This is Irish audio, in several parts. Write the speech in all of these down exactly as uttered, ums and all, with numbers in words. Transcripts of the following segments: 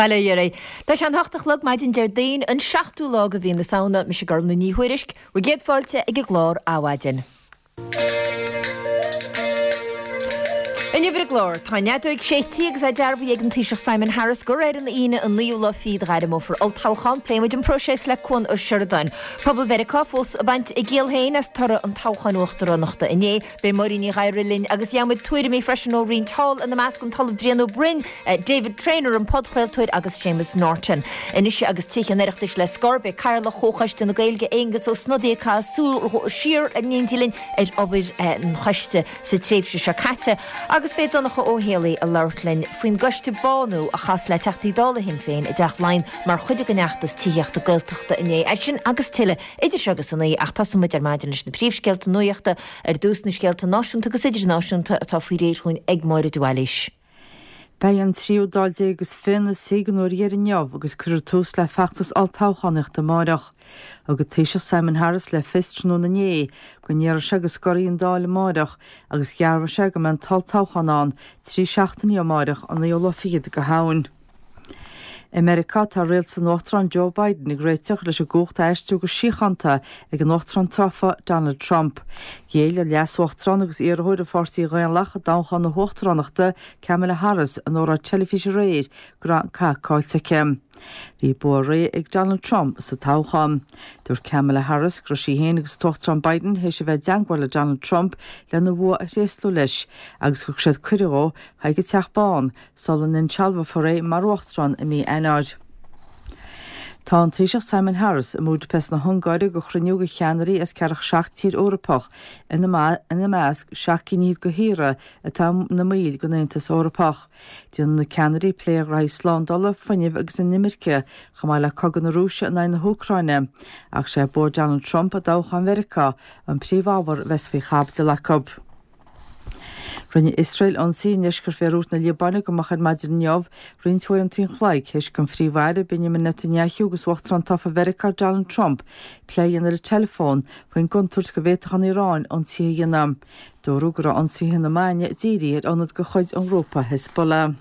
Bail ó Dhia oraibh. Tá sé an hocht a chlog maidin Déardaoin, an seachtú lá de mhí na Samhna, mise Gormlaith Ní Thuairisg, bhur gcéad fáilte ag an gclár Adhmhaidin. Inniu ar an gclár, tá an fheadóig séidte agus é dearbhaithe ag an Taoiseach Simon Harris gur ar an Aoine an naoú lá fichead a ghairmeofar olltoghchán. Pléifidh muid an próiseas le Cuan Ó Seireadáin. Pobal Mheiriceá fós ag baint a gciall féin as toradh an toghcháin uachtaránachta inné. Beidh Máirín Ní Ghadhra linn agus gheobhaimid tuairimí freisin ó roinnt thall, ina measc an tOllamh Brian Ó Broin, David Traynor, an podchraoltóir agus Séamus Norton. Anois agus Tithe an Oireachtais le scor, beidh Cathaoirleach Chomhchoiste na Gaeilge, Aengus Ó Snodaigh ag caitheamh súil siar in éindí linn ar obair an choiste sa tréimhse seo caite agus beidh Donncha Ó Héalaí ag labhairt linn faoin gcoiste Bánú a chas le Teachtaí Dála Shinn Féin i dTeach Laighean mar chuid den fheachtas tithíochta Gaeltachta inné. É sin agus tuilleadh idir seo agus a naoi ach tosóidh muid ar maidin leis na príomhscéalta nuachta, ar dtús na scéalta náisiúnta agus idirnáisiúnta atá faoi réir chugainn ag Máire de Bhailís. Beidh an tríú Dáil déag is fiche ina suí den uair dheiridh inniu agus cuirfear tús le feachtas olltoghchánaíochta amárach. Thug an Taoiseach Simon Harris le fios tráthnóna inné go ndéarfaidh sé go scorfaidh an Dáil amárach agus dhearbhaigh sé go mbeidh an t-olltoghchán ann trí seachtainí ó amárach, an naoú lá fichead de Shamhain. I Meiriceá, tá rialtas an Uachtaráin Joe Biden ag réiteach leis an gcumhacht a aistriú go síochánta ag an Uachtarán tofa Donald Trump. Ghéill an leas-uachtarán agus iarrthóir an Pháirtí Dhaonlathach i dtoghchán na huachtaránachta, Kamala Harris, in óráid teilifíse aréir go raibh an cath caillte aici. Bhí bua réidh ag Donald Trump sa toghchán. Dúirt Kamala Harris go raibh sí féin agus an tUachtarán Biden théis a bheith i dteangmháil le Donald Trump lena bhua a thréaslú leis agus gur thug siad cuireadh dó chuig an Teach Bán sula n-insealbhófar é mar uachtarán i mí Eanáir. Tá an Taoiseach Simon Harris i mBúdaipeist na hUngáire do chruinniú de cheannairí as ceathracha seacht tír Eorpach, ina measc seacht gcinn fhichead de thíortha atá ina mbaill den Aontas Eorpach. Déanfaidh na ceannairí plé ar ghraithí slándála, fuinnimh agus an imirce, chomh maith le cogadh na Rúise in aghaidh na hÚcráine. Ach sé bua Donald Trump i dtoghchán Mheiriceá an príomhábhar a bheas faoi chaibidil acu. Rinne Iosrael ionsaí i ndeisceart Bhéiriút na Liobáine go moch ar maidin inniu, roinnt uaireanta an chloig théis don Phríomh-Aire Benjamin Netanyahu agus Uachtarán tofa Mheiriceá Donald Trump plé a dhéanamh ar an teileafón faoin gcontúirt go bhféadfadh an Iaráin ionsaithe a dhéanamh. Dúradh go raibh ionsaithe na maidine dírithe ar ionad de chuid an ghrúpa Hezbollah.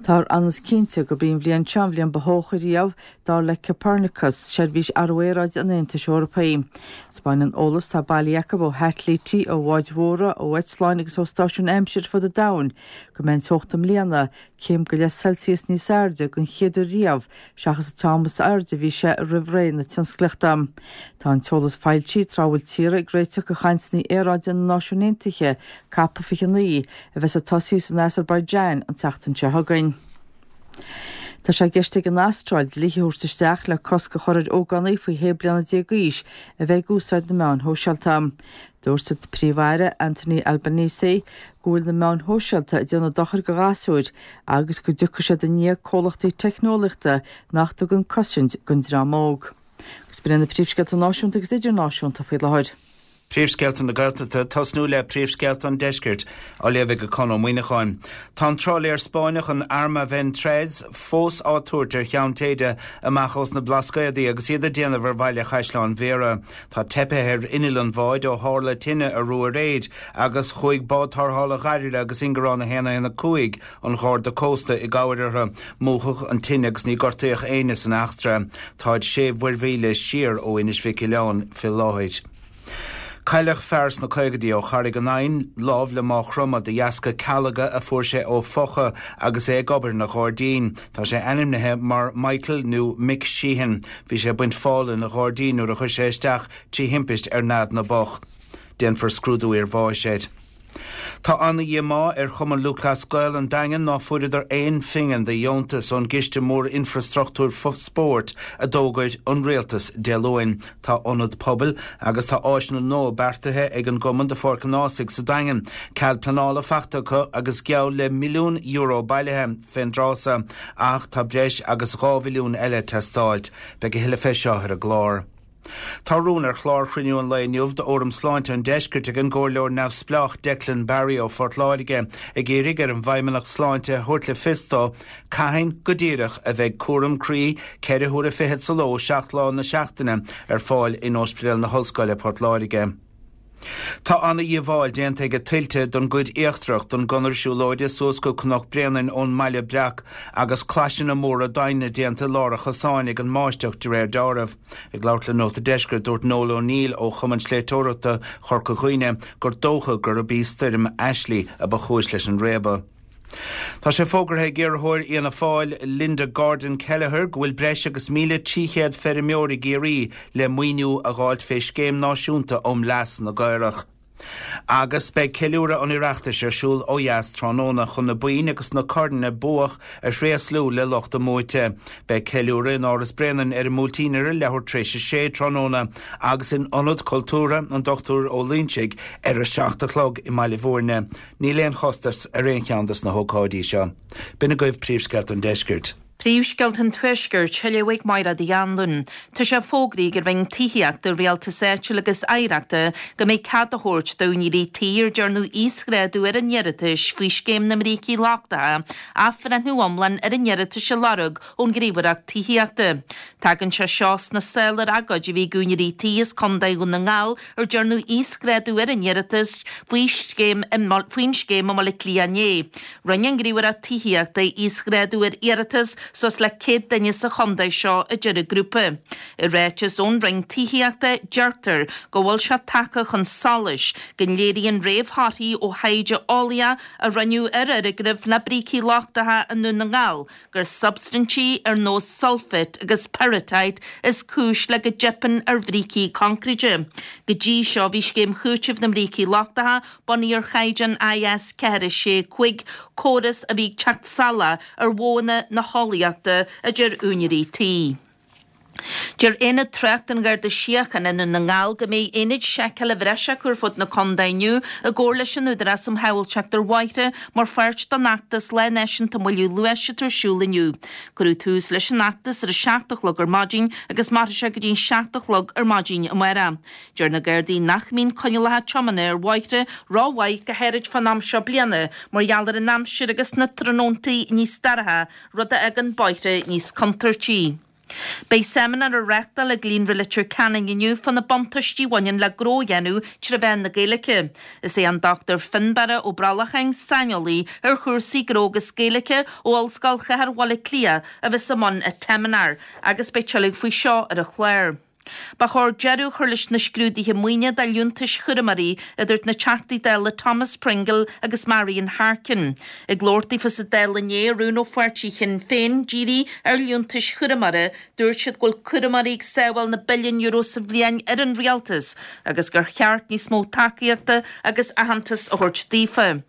Táthar an-chinnte gurb í an bhliain seo an bhliain ba theocha riamh, dar le Copernicus, seirbhís athrú aeráide an Aontais Eorpaigh. Taispeánann an t-eolas atá bailithe acu ó shaitilítí, ó bháid mhóra, ó eitleáin agus ó stáisiúin aimsire ar fud an domhain go mbeidh an teocht i mbliana céim go leith Celsius níos airde den chéad uair riamh seachas an t-am is airde a bhí sé roimh ré na tionsclaíochta. Tá an t-eolas foilsithe tráth a bhfuil tíortha ag réiteach do chainteanna aeráide na Náisiún Aontaithe, Cop fiche a naoi, a bheas ag tosaí san Asarbaiseáin an tseachtain seo chugainn. Tá sé i gceist ag an Astráil dlíthe a thabhairt isteach le cosc a chur ar ógánaigh faoi shé bliana déag d'aois a bheith ag úsáid na meáin shóisialta. Dúirt an Príomh-Aire Anthony Albanese go bhfuil na meáin shóisialta ag déanamh dochair do ghasúir agus go dtiocfaidh siad i ndiaidh comhlachtaí teicneolaíochta nach dtugann cosaint don dream óg. Agus b'in iad na príomhscéalta náisiúnta agus idirnáisiúnta faoi láthair. Príomhscéalta na Gaeltachta, tosnú le príomhscéalta an Deiscirt, á léamh ag Conn Ó Muíneacháin. Tá an trálaer Spáinneach an Arma Ven Tres fós á tabhairt ar Cheann Téide amach ós na Blascaodaí agus iad ag déanamh ar bhaile Chaisleán Bhéarra. Tá teipthe ar inneall an bháid ó tharla tine arú aréir agus chuaigh bád tarrthála Ghairle agus Ingearán a haon a haon a cúig an Gharda Cósta i gcabhair orthu. Múchadh an tine agus ní gortaíodh éinne san eachtra. Táid sé mhuirmhíle siar ó Inis Mhic Oileáin fé láthair. Cailleadh fear sna caogaidí ó Charraig an Eidhinn, lámh le Máigh Chromtha, de dheasca calga a fuair sé ó phocha agus é ag obair ina ghairdín. Tá sé ainmnithe mar Michael nó Mick Sheehan. Bhí sé ag baint fál ina ghairdín nuair a chuir sé isteach trí thimpist ar nead na bpoc. Déanfar scrúdú iarbháis air. Tá ana-dhíomá ar Chumann Lúthchleas Gael an Daingin ná fuaireadar aon phingin de dheontas ón gciste mór infreastruchtúir spóirt a d'fhógair an Rialtas Dé Luain. Tá ionad pobail agus tá áiseanna nua beartaithe ag an gcumann do Pháirc an Ághasaigh sa Daingean. Cead pleanála faighte acu agus geall le milliún euro bailithe fén dtráth so ach tá breis agus dhá mhilliún eile ag teastáilt. Beidh a thuilleadh fé seo ar an gclár. Tá rún ar chlár chruinniú an lae inniu d'Fhóram Sláinte an Deiscirt ag an gComhairleoir neamhspleách Declan Barry ó Phort Láirge ag iarraidh ar an bhFeidhmeannacht Sláinte a thabhairt le fios dó cathain go díreach a bheidh cúram croí ceithre huaire fichead sa ló seacht lá na seachtaine ar fáil in Ospidéal na hOllscoile Port Láirge. Tá an-dhíobháil déanta ag tuilte don gcuid íochtarach den gconair siúlóide suas go Cnoc Bréanainn ón mBaile Breac agus claiseanna móra doimhne déanta i lár an chosáin ag an mbáisteach de réir dealraimh. Ag labhairt le Nuacht an Deiscirt dúirt Noel O'Neill ó Chumann Sléibhteoireachta Chorca Dhuibhne gur dócha gurb í stoirm Ashley a ba chúis leis an réabadh. Tá sé fógartha ag iarrthóir Fhianna Fáil Linda Gordon Kelleher go bhfuil breis agus míle trí chéad feirmeoir i gCiarraí le maoiniú a dh'fháilt fé scéim náisiúnta um leas na gcaorach. Agus beidh ceiliúradh an Oireachtais ar siúl ó dheas tráthnóna chun na boinn agus na corn a buadh a thréaslú le lucht a mbuaite. Beidh ceiliúradh in Áras Bréanainn ar an mBuailtín ar a leathuair tar éis a sé tráthnóna agus in Ionad Cultúrtha an Dochtúir Ó Loingsigh ar a seacht a chlog i mBaile Bhúirne. Níl aon chostas ar aon cheann dos na hócáidí seo. B'in agaibh príomhscéalta an deiscirt. Príomhscéalta an Tuaiscirt, á léamh ag Máire Uí Anluain. Tá sé fógraithe ag an Roinn Tithíochta, Rialtais Áitiúil agus Oidhreachta go mbeidh cead á thabhairt d'úinéirí tí ar dearnadh íosghrádú ar a n-iarratais faoi Scéim na mBrící Lochtacha athbhreithniú iomlán ar a n-iarratais a lorg ón nGníomhaireacht Tithíochta. Tagann sé seo sna sála ar agóid a bhí ag úinéirí tí as Contae Dhún na nGall ar dearnadh íosghrádú ar a n-iarratas faoi scéim faoin scéim i mBaile Átha Cliath inné. Rinne an Ghníomhaireacht Tithíochta íosghrádú ar iarratas suas le céad duine sa chontae seo a deir an grúpa. I ráiteas ón Roinn Tithíochta deirtear go bhfuil sé tagtha chun solais go léiríonn réamhthorthaí ó thaighde eolaíoch a rinneadh ar fhoirgnimh le brící lochtacha i nDún na nGall gur substaintí ar nós sulfate agus pyrrhotite is cúis le go dteipeann ar bhrící coincréite. Go dtí seo bhí scéim chúitimh na mbrící lochtacha bunaithe ar chaighdeán I S ceathair sé cúig, córas a bhí ag teacht salach ar mhodhanna na heolaíochta, a deir úinéirí tí. Deir Aonad Tráchta an Gharda Síochána i nDún na nGall go mbeidh aonaid seiceála bhreise acu ar fud na contae inniu i gcomhar leis an Údarás um Shábháilteacht ar Bhóithre mar pháirt den fheachtas Lá Náisiúnta Moilliú Luais atá ar siúl inniu. Cuireadh tús leis an fheachtas ar a seacht a chlog ar maidin agus mairfidh sé go dtí an seacht a chlog ar maidin amárach. Deir na Gardaí nach mbíonn coinníollacha tiomána ar bhóithre rómhaith go háirid fán am seo bliana mar gheall ar an aimsir agus na tráthnóntaí níos dorcha, rud a fhágann bóithre níos contúirtí. Beidh seimineár á reáchtáil ag Líonra Leitir Ceanainn inniu fá na buntáistí a bhaineann le gnó a dhéanamh trí mheán na Gaeilge. Is é an Dochtúir Fionnbarra Ó Brollacháin, saineolaí ar chúrsaí gnó agus Gaeilge ó Ollscoil Chathair Bhaile Átha Cliath a bheas i mbun an tseimineáir agus beidh tuilleadh faoi seo ar an chlár. Ba chóir deireadh a chur leis na scrúduithe maoine do liúntais chúramóirí, a dúirt na Teachtaí Dála Thomas Pringle agus Marian Harkin. Ag labhairt daofa sa Dáil inné ar rún ó pháirtí Shinn Féin dírithe ar liúntais chúramóra, dúirt siad go bhfuil cúramóirí ag sábháil na billiún euro sa bhliain ar an rialtas agus gur cheart níos mó tacaíochta agus aitheantas a thabhairt daofa.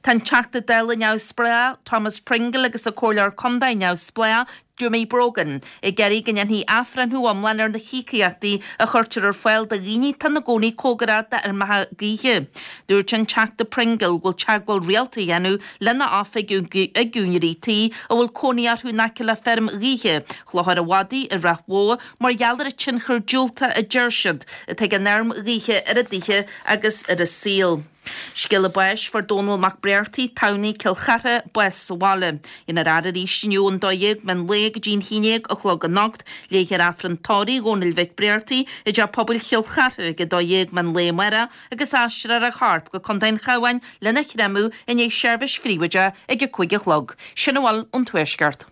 Tá an Teachta Dála neamhspleách Thomas Pringle agus an Comhairleoir Contae neamhspleách Jimmy Brogan ag iarraidh go ndéanfaí athbhreithniú iomlán ar na híocaíochtaí a chuirtear ar fáil do dhaoine atá ina gcónaí cóngarach d'fheirmeacha gaoithe. Dúirt an Teachta Pringle go bhfuil teagmháil rialta á dhéanamh lena oifig ag úinéirí tí a bhfuil cónaí orthu in aice le feirm ghaoithe Chlochar an Mhadaidh i Ráth Bhoth mar gheall ar an tionchar diúltach a deir siad atá ag an fheirm ghaoithe ar a dtithe agus ar a saol. Scéala báis fuair Dónal Mac Bréartaigh, Tamhnaigh, Cill Chartha, bás sa bhaile. Déanfar a fhaire arís inniu ón dó dhéag meán lae go dtí an haon déag a chlog anocht, léifear Aifreann tórraimh Dhónaill Mhic Bréartaigh i dTeach Pobail Chill Chartha ag a dó dhéag meán lae amárach agus aistreofar a chorp go Contae an Chabháin lena chreamadh i ndiaidh seirbhís phríobháideach ag a cúig a chlog. Sin a bhfuil ón Tuaisceart.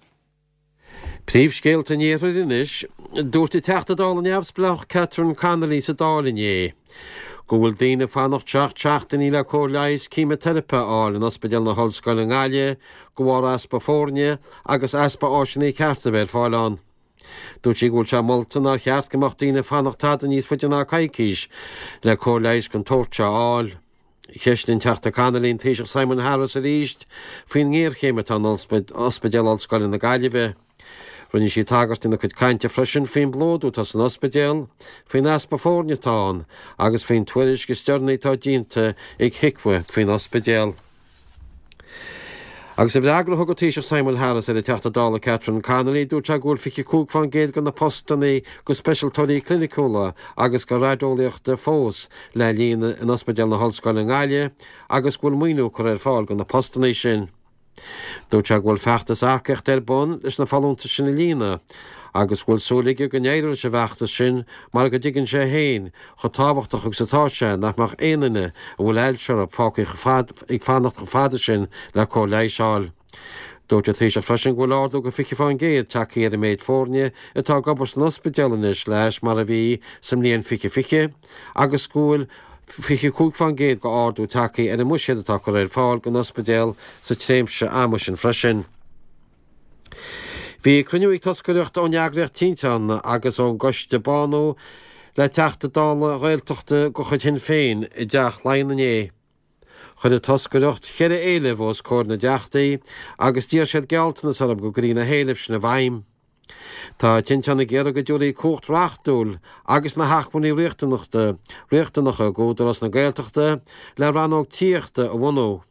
Príomhscéalta an Iarthair anois, dúirt an Teachta Dála neamhspleách Catherine Connolly sa Dáil inné go bhfuil daoine fanacht seacht seachtainí le cóir leighis céimiteiripe a fháil in Ospidéal na hOllscoile i nGaillimh de bharr easpa foirne agus easpa áiseanna cearta a bheith ar fáil ann. Dúirt sí go bhfuil sé molta nár cheart go mbeadh daoine fanacht tada níos faide ná coicís le cóir leighis den tsórt seo a fháil. Cheistigh an Teachta Connolly an Taoiseach Simon Harris arís faoin ngéarchéim atá in Ospidéal Ollscoile na Gaillimhe. Rinne sí tagairt ina cuid cainte freisin faoin bplódú atá san ospidéal, faoin easpa foirne atá ann agus faoin tuairisc is deireanaí atá déanta ag HIQA faoin ospidéal. Agus i bhfreagra a thug an Taoiseach Simon Harris ar an Teachta Dála Catherine Connolly, dúirt sé go bhfuil fiche cúig faoin gcéad de na postanna do speisialtóirí cliniciúla agus do raideolaíochta fós le líonadh in Ospidéal na hOllscoile i nGaillimh agus go bhfuil maoiniú curtha ar fáil do na postanna sin. Dúirt sé go bhfuil feachtas earcaíochta ar bun leis na folúntais sin a líonadh agus go bhfuil súil aige go n-éireoidh leis an bhfeachtas sin mar go dtuigeann sé féin chomh tábhachtach agus atá sé nach mbeadh aon duine a bhfuil ailse orthu fágtha ag fanacht chomh fada sin le cóir leighis a fháil. Dúirt an Taoiseach freisin go bhfuil ardú go fiche fán gcéad tagtha ar an méid foirne atá ag obair san ospidéal anois le hais mar a bhí sa mbliain fiche fiche agus go bhfuil fiche cúig fán gcéad go ardú tagtha ar an mbuiséad atá curtha ar fáil don ospidéal sa tréimhse ama sin freisin. Bhí cruinniú ag toscaireacht ón eagraíocht Tinteán agus ón gcoiste Bánú le Teachta Dála Gaeltachta de chuid Shinn Féin i dTeach Laighean inné. Chuir an toscaireacht ceithre éileamh os comhair na dTeachtaí agus d'iarr siad gealltanas orthu go gcuirfí na héilimh sin i bhfeidhm. Tá Tinteán ag iarraidh go dtabharfaí cumhacht reachtúil agus na hacmhainní riachtanacha d'Údarás na Gaeltachta le rannóg tithíochta a bhunú,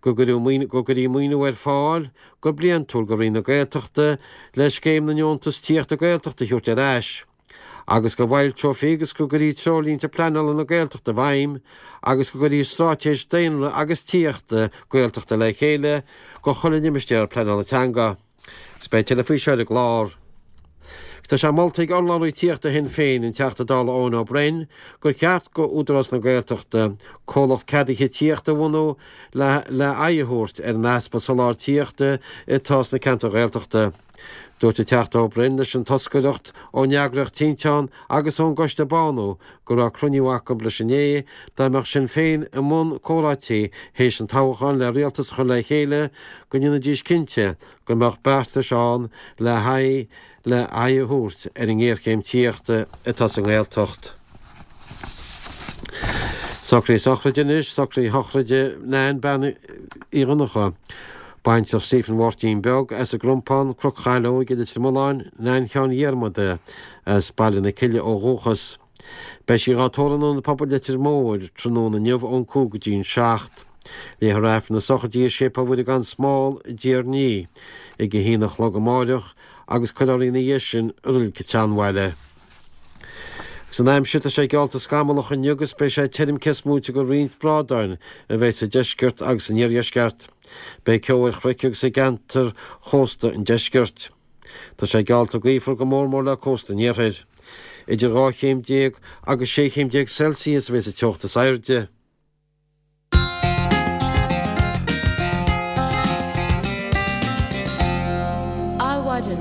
go gcuirfí maoiniú ar fáil go bliantúil do Roinn na Gaeltachta le Scéim na nDeontas Tithíochta Gaeltachta a thabhairt ar ais, agus go bhfoilseofaí agus go gcuirfí Treoirlínte Pleanála na Gaeltachta i bhfeidhm agus go gcuirfí Straitéis Daonra agus Tithíochta Gaeltachta le chéile do chuile limistéar pleanála teanga. Agus beidh tuilleadh faoi seo ar an gclár. Tá sé molta ag urlabhraí tithíochta Shinn Féin, an Teachta Dála Eoin Ó Broin, gur cheart go Údarás na Gaeltachta comhlacht ceadaithe tithíochta a bhunú le le aghaidh a thabhairt ar an easpa soláthair tithíochta atá sna ceantair Ghaeltachta. Dúirt an Teachta Ó Broin leis an toscaireacht ón eagraíocht Tinteán agus ón gCoiste Bánú go raibh cruinniú acu leis inné dá mbeadh Sinn Féin i mbun comhráití théis an toghcháin le rialtas a chur le chéile go ndéanfaidís cinnte go mbeadh beartais ann le haghaidh le aghaidh a thabhairt ar an ngéarchéim tithíochta atá sa nGaeltacht. Socruithe sochraide anois, socruithe shochraide Nan Bean Uí Dhonnchadha, baintreach Stephen Mháirtín Beag as an gCrompán, Cnoc Chaileoig i Leitir Mealláin, Nan Sheáin Dhiarmada as Baile na Cille ó dhúchas. Beidh sí dhá tórramh in Ionad Pobail Leitir Móir tráthnóna inniu ón cúig go dtí an seacht. Léifear Aifreann na sochraide i Séipéal Mhuire gan Smál i dTír an Fhia ag a haon a chlog amáireach agus cuirfear í ina dhiaidh sin i Reilig an tSeanbhaile. Agus an aimsir, tá sé geallta scamallach inniu agus beidh sé tirim cés móite de roinnt brádáin a bheidh sa deisceart agus san iardheisceart. Beidh ceo ar chnoic agus i gceantair chósta an deiscirt. Tá sé geallta gaofar go mór mór le cósta an iarthair. Idir dhá chéim déag agus sé chéim déag Celsius a bheidh sa teocht is airde. Adhmhaidin.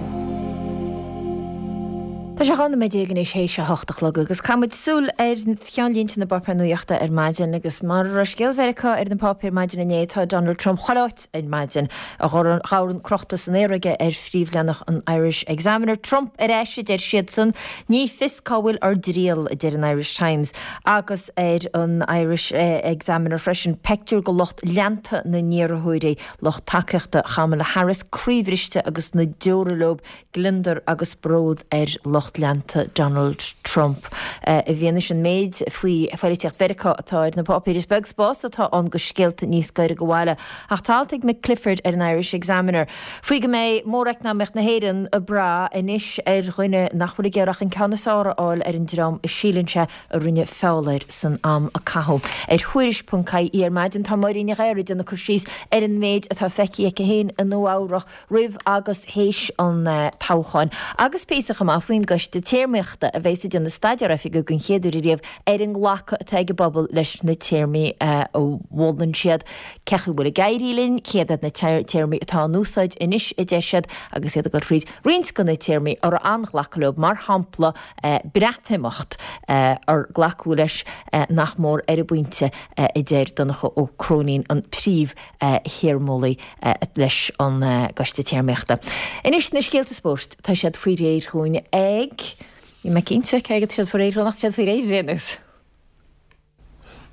Tá sé dhá nóiméad déag anois théis a hocht a chlog agus caithfidh muid súil ar cheannlínte na bpáipéar nuachta ar maidin agus mar a raibh scéal Mheiriceá ar na páipéir maidin inné tá Donald Trump chuile áit ar maidin. A dhorn crochta san aer aige ar phríomhleathanach an Irish Examiner. Trump ar ais a deir siadsan. Ní fios cá bhfuil ár dtriall a deir an Irish Times agus ar an Irish Examiner freisin peictiúr de lucht leanta na n-iarrthóirí, lucht tacaíochta Kamala Harris, croíbhriste agus na deora leo, gliondar agus bród ar lucht leanta Donald Trump. I bhfianaise an méid faoi pholaitíocht Mheiriceá atá ar na páipéir, is beag spás atá ann do scéalta níos gaire do bhaile. Ach tá alt ag Mick Clifford ar an Irish Examiner faoi go mbeidh móreacnamaíocht na hÉireann ag brath anois ar dhuine nach bhfuil ag iarraidh ach an ceann is fearr a fháil ar an dream a síleann sé a rinne feall air san am a caitheadh. Ar Thuairisc ponc ie ar maidin tá Máirín Ní Ghadhra ag déanamh cur síos ar an méid atá feicthe aici féin i Nua Eabhrach roimh agus théis an toghcháin agus píosa chomh maith faoin gCoiste Téarmaíochta a bheas ag déanamh staidéar oifigiúil den chéad uair ariamh ar an nglacadh atá ag an bpobal leis na téarmaí a mholann siad. Cé chaoi a bhfuil ag éirí linn? Céard iad na téarmaí atá in úsáid anois, a deir siad, agus iad ag dul thríd roinnt de na téarmaí a raibh an-ghlacadh leo, mar shampla Breatimeacht, ar glacadh leis nach mór ar an bpointe, a deir Donncha Ó Cróinín, an príomh-théarmeolaí leis an gCoiste Téarmaíochta. Anois na scéalta spóirt, tá siad faoi réir chugainn ag. Níl mé cinnte cé acu tá siad faoi réir ach tá siad faoi réir ar aon nós.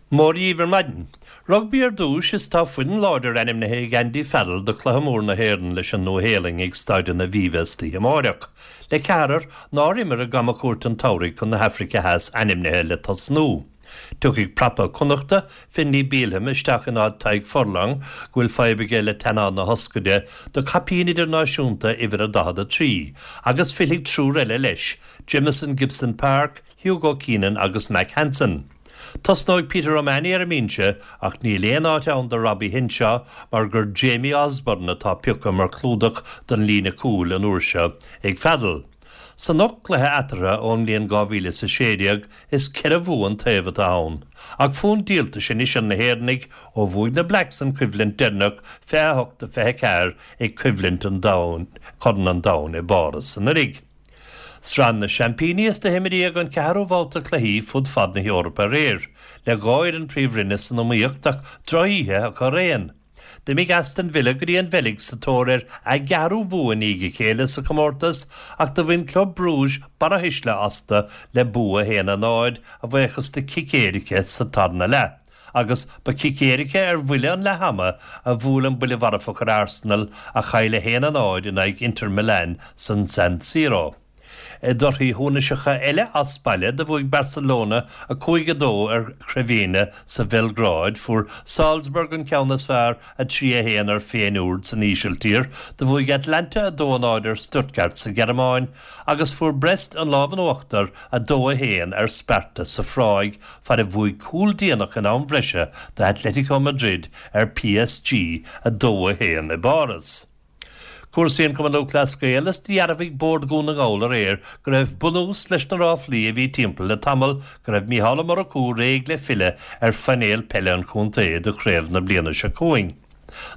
Mora dhaoibh ar maidin. Rugbaí ar dtús is tá foireann láidir ainmnithe ag Andy Farrell do chluiche mór na hÉireann leis an Nua-Shéalainn ag Staid an Aviva istoíche amáireach, le ceathrar nár imir i gcamchuairt an tsamhraidh chun na hAfraice Theas ainmnithe le tosnú. Tiocfaidh prapa Connachta, Finlay Bealham, isteach in áit Tadhg Furlong, go bhfuil fadhb aige le teannán na hioscaide, do chaipín idirnáisiúnta uimhir a daichead a trí, agus fillfidh triúr eile leis, Jamison Gibson-Park, Hugo Keenan agus Mack Hansen. Tosnóidh Peter O'Mahony ar an mbinse ach níl aon áit ann do Robbie Henshaw mar gur Jamie Osborne atá pioctha mar chlúdach don líne cúil an uair seo ag Farrell. San ocht gcluiche eatarthu ón mbliain dhá mhíle is a sé déag, is ceithre bhua an taobh atá ann. Ach fonn díoltais anois ar na hÉireannaigh ó bhuaigh na Blacks an choimhlint deireanach fiche a hocht a fiche a ceathair ag coimhlint an domhain, Corn an Domhain i bPáras anuraidh. Sraith na Seaimpíní is do himríodh an ceathrú babhta cluichí fud fad na hEorpa aréir, le dhá fhoireann Príomhroinne san iomaíocht ach drochoíche acu araon. D'imigh Aston Villa go dtí an Bheilg sa tóir ar a gceathrú bhua i ndiaidh a chéile sa chomórtas ach do bhain Club Brugge barra thuisle astu le bua a haon a náid a bhuíochas do chic éirice sa tarna leath. Agus ba chic éirice ar bhuille an leath-ama a bhuail an buille mharfach ar Arsenal a chaill a haon a náid in aghaidh Inter Milan san San Siro. I dtorthaí shuanaseacha eile as baile, do bhuaigh Barcelona a cúig a dó ar Crvena sa Bheilgráid, fuair Salzburg an ceann is fearr a trí a haon ar Feyenoord san Ísiltír, do bhuaigh Atalanta a dó a náid ar Stuttgart sa Ghearmáin agus fuair Brest an lámh in uachtar a dó a haon ar Sparta sa Phráig fad a bhuaigh cúl déanach in am bhreise do Atletico Madrid ar P S G a dó a haon i bPáras. Cúrsaí an Chumann Lúthchleas Gael is dhearbhaigh Bord Dhún na nGall aréir go raibh bunús leis na ráflaí a bhí timpeall le tamall go raibh Mícheál Ó Murchú réidh le filleadh ar phainéal peile an chontae do chraobh na bliana seo chugainn.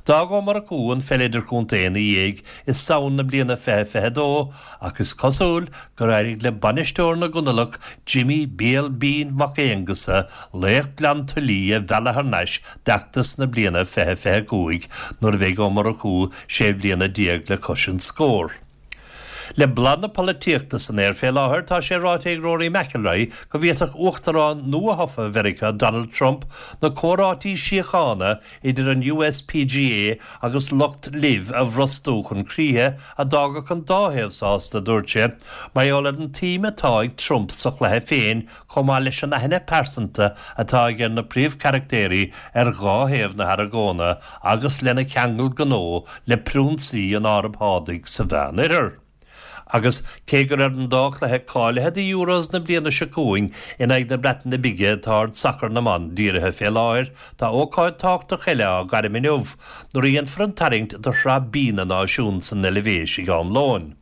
D'fhág Ó Murchú an pheil idirchontae ina dhiaidh i Samhain na bliana fiche fiche a dó ach is cosúil gur éirigh le bainisteoir na gConallach Jimmy Béal Binn Mac Aonghusa laoch Ghleann tSúilí a mhealladh thar n-ais d'fheachtas na bliana fiche fiche a cúig nuair a bheidh Ó Murchú sé bliana déag le cois an scóir. Le bláth na polaitíochta san aer fé láthair, tá sé ráite ag Rory McIlroy go bhféadfadh Uachtarán nua-thofa Mheiriceá Donald Trump na comhráití síochána idir an U S P G A agus lucht LIV a bhrostú chun críche a d'fhágfadh an dá thaobh sásta, a dúirt sé, mar gheall ar an tsuim atá ag Trump sa chluiche féin chomh maith leis an aithne pearsanta atá aige ar na príomhcharachtéirí ar dhá thaobh na hargóna agus lena cheangal gnó le priúnsaí an Araib Shádaigh sa Mheánoirthear. Agus cé gur ar an dá chluiche cáilithe do Euros na bliana seo chugainn in aghaidh na Breataine Bige atá aird sacar na mban dírithe fé láthair, tá ócáid tábhachtach eile á gairm inniu nuair a dhéanfar an tarraingt do Shraith B na Náisiún san Eilvéis ag am lóin.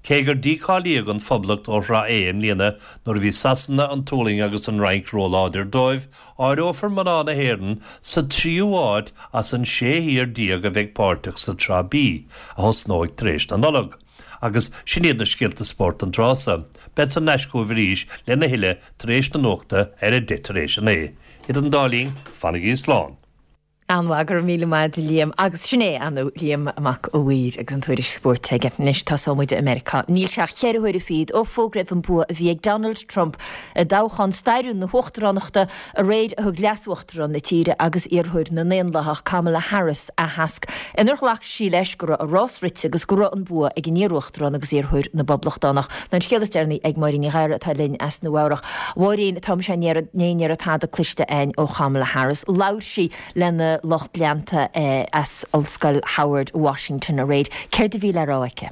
Cé gur dícháilíodh an Phoblacht ó Shraith A i mbliana nuair a bhí Sasana, an tSualainn agus an Fhrainc róláidir dóibh, áireofar mná na hÉireann sa tríú háit as an sé thír déag a bheidh páirteach sa tSraith B, a thosnóidh tar éis na Nollag. Agus sin iad na scéalta spóirt an tráth so. Bead thar n-ais chugaibh arís lena thuilleadh tar éis na nuachta ar a deich tar éis a naoi. Idir an dá linn, fanaigí slán. An-mhaith, go raibh míle maith agat Liam agus sin é anu Liam Mac a' Mhaoir agus an tuairisc spóirt aige. Anois tosóidh muid i Meiriceá. Níl sé ach ceithre huaire fichead ó fógraíodh an bua a bhí ag Donald Trump i dtoghchán stairiúil na huachtaránachta aréir a thug leasuachtarán na tíre agus iarrthóir na nDaonlathach Kamala Harris aitheasc inar ghlac sí leis go raibh a rás rite agus go raibh an bua ag an iar-uachtarán agus iarrthóir na bPoblachtánach. An scéal is deireanaí ag Máirín Ní Ghadhra atá linn as Nua-Eabhrac. Máirín, tá sé ní ní tada cliste againn ó Kamala Harris. Labhair sí lena lucht leanta eh, as Ollscoil Howard Washington aréir. Céard a bhí le rá aici?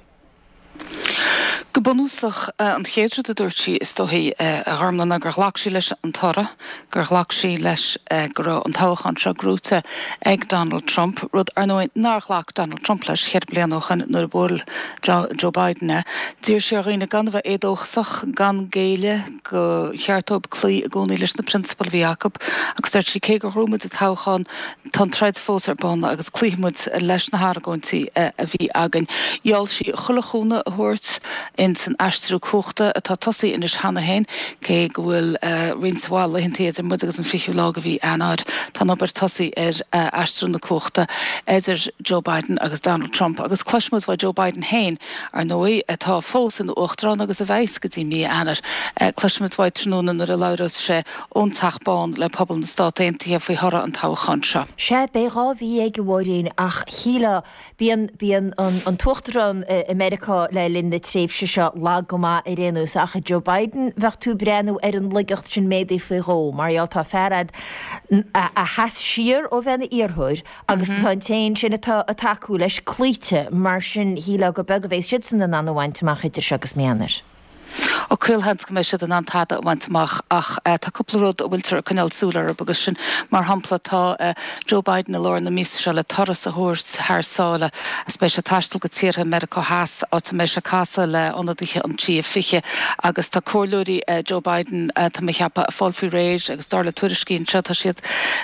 Go bunúsach an chéad rud a dúirt sí is dóichí a Ghormfhlaith gur ghlac sí leis an toradh, gur ghlac sí leis go raibh an toghchán seo gnóthaithe ag Donald Trump, rud ar ndóigh nár ghlac Donald Trump leis ceithre bliana ó shin nuair a bhuail Joe Biden é. D'iarr sí ar dhaoine gan a bheith éadóchasach gan géilleadh gur cheart dóibh cloí i gcónaí leis na prionsabail a bhí acu, agus dúirt sí cé gur bhuaigh muid an toghchán tá an troid fós ar bun agus cloífidh muid leis na hargóintí a bhí againn. Gheall sí chuile chúnamh a thabhairt in san aistriú cumhachta atá tosaithe anois cheana féin cé go bhfuil roinnt mhaith laethanta idir muid agus an fichiú lá de mhí Eanáir tá an obair tosaithe ar aistriú na cumhachta idir Joe Biden agus Donald Trump agus cloisfimid ó Joe Biden féin ar ndóigh atá fós ina uachtarán agus a bheidh go dtí mí Eanáir. Cloisfimid uaidh tráthnóna nuair a labhrós sé ón Teach Bán le pobal na Stát Aontaithe faoi thoradh an toghcháin seo. Sé bé dhá mhí ag bhóiréin ach shílfeá bíonn bíonn an t-uachtarán i Meiriceá le linn na tréimhse seo lag go maith ar aon nós ach Joe Biden bheadh tú ag breathnú ar an laigeacht sin méadaithe faoi dhó mar gheall tá fear a a sheas siar ó bheith ina iarrthóir agus tá an té sin atá ag tacú leis cloíte mar sin shílfeá gur beag a bheidh siad san in ann a bhaint amach idir seo agus mí Eanáir. Ó caolsheans go mbeidh siad in ann tada a bhaint amach ach tá cúpla rud a bhfuiltear ag coinneáil súil orthu agus sin mar shampla tá Joe Biden i lár na míosa seo le turas a thabhairt thar sáile agus beidh sé ag taisteal go tíortha Meiriceá Theas áit a mbeidh sé ag casadh le ionadaithe an Trí Fiche agus tá comhairleoirí Joe Biden tá mé ag ceapadh ag fáil faoi réir agus dar le tuairiscí anseo tá siad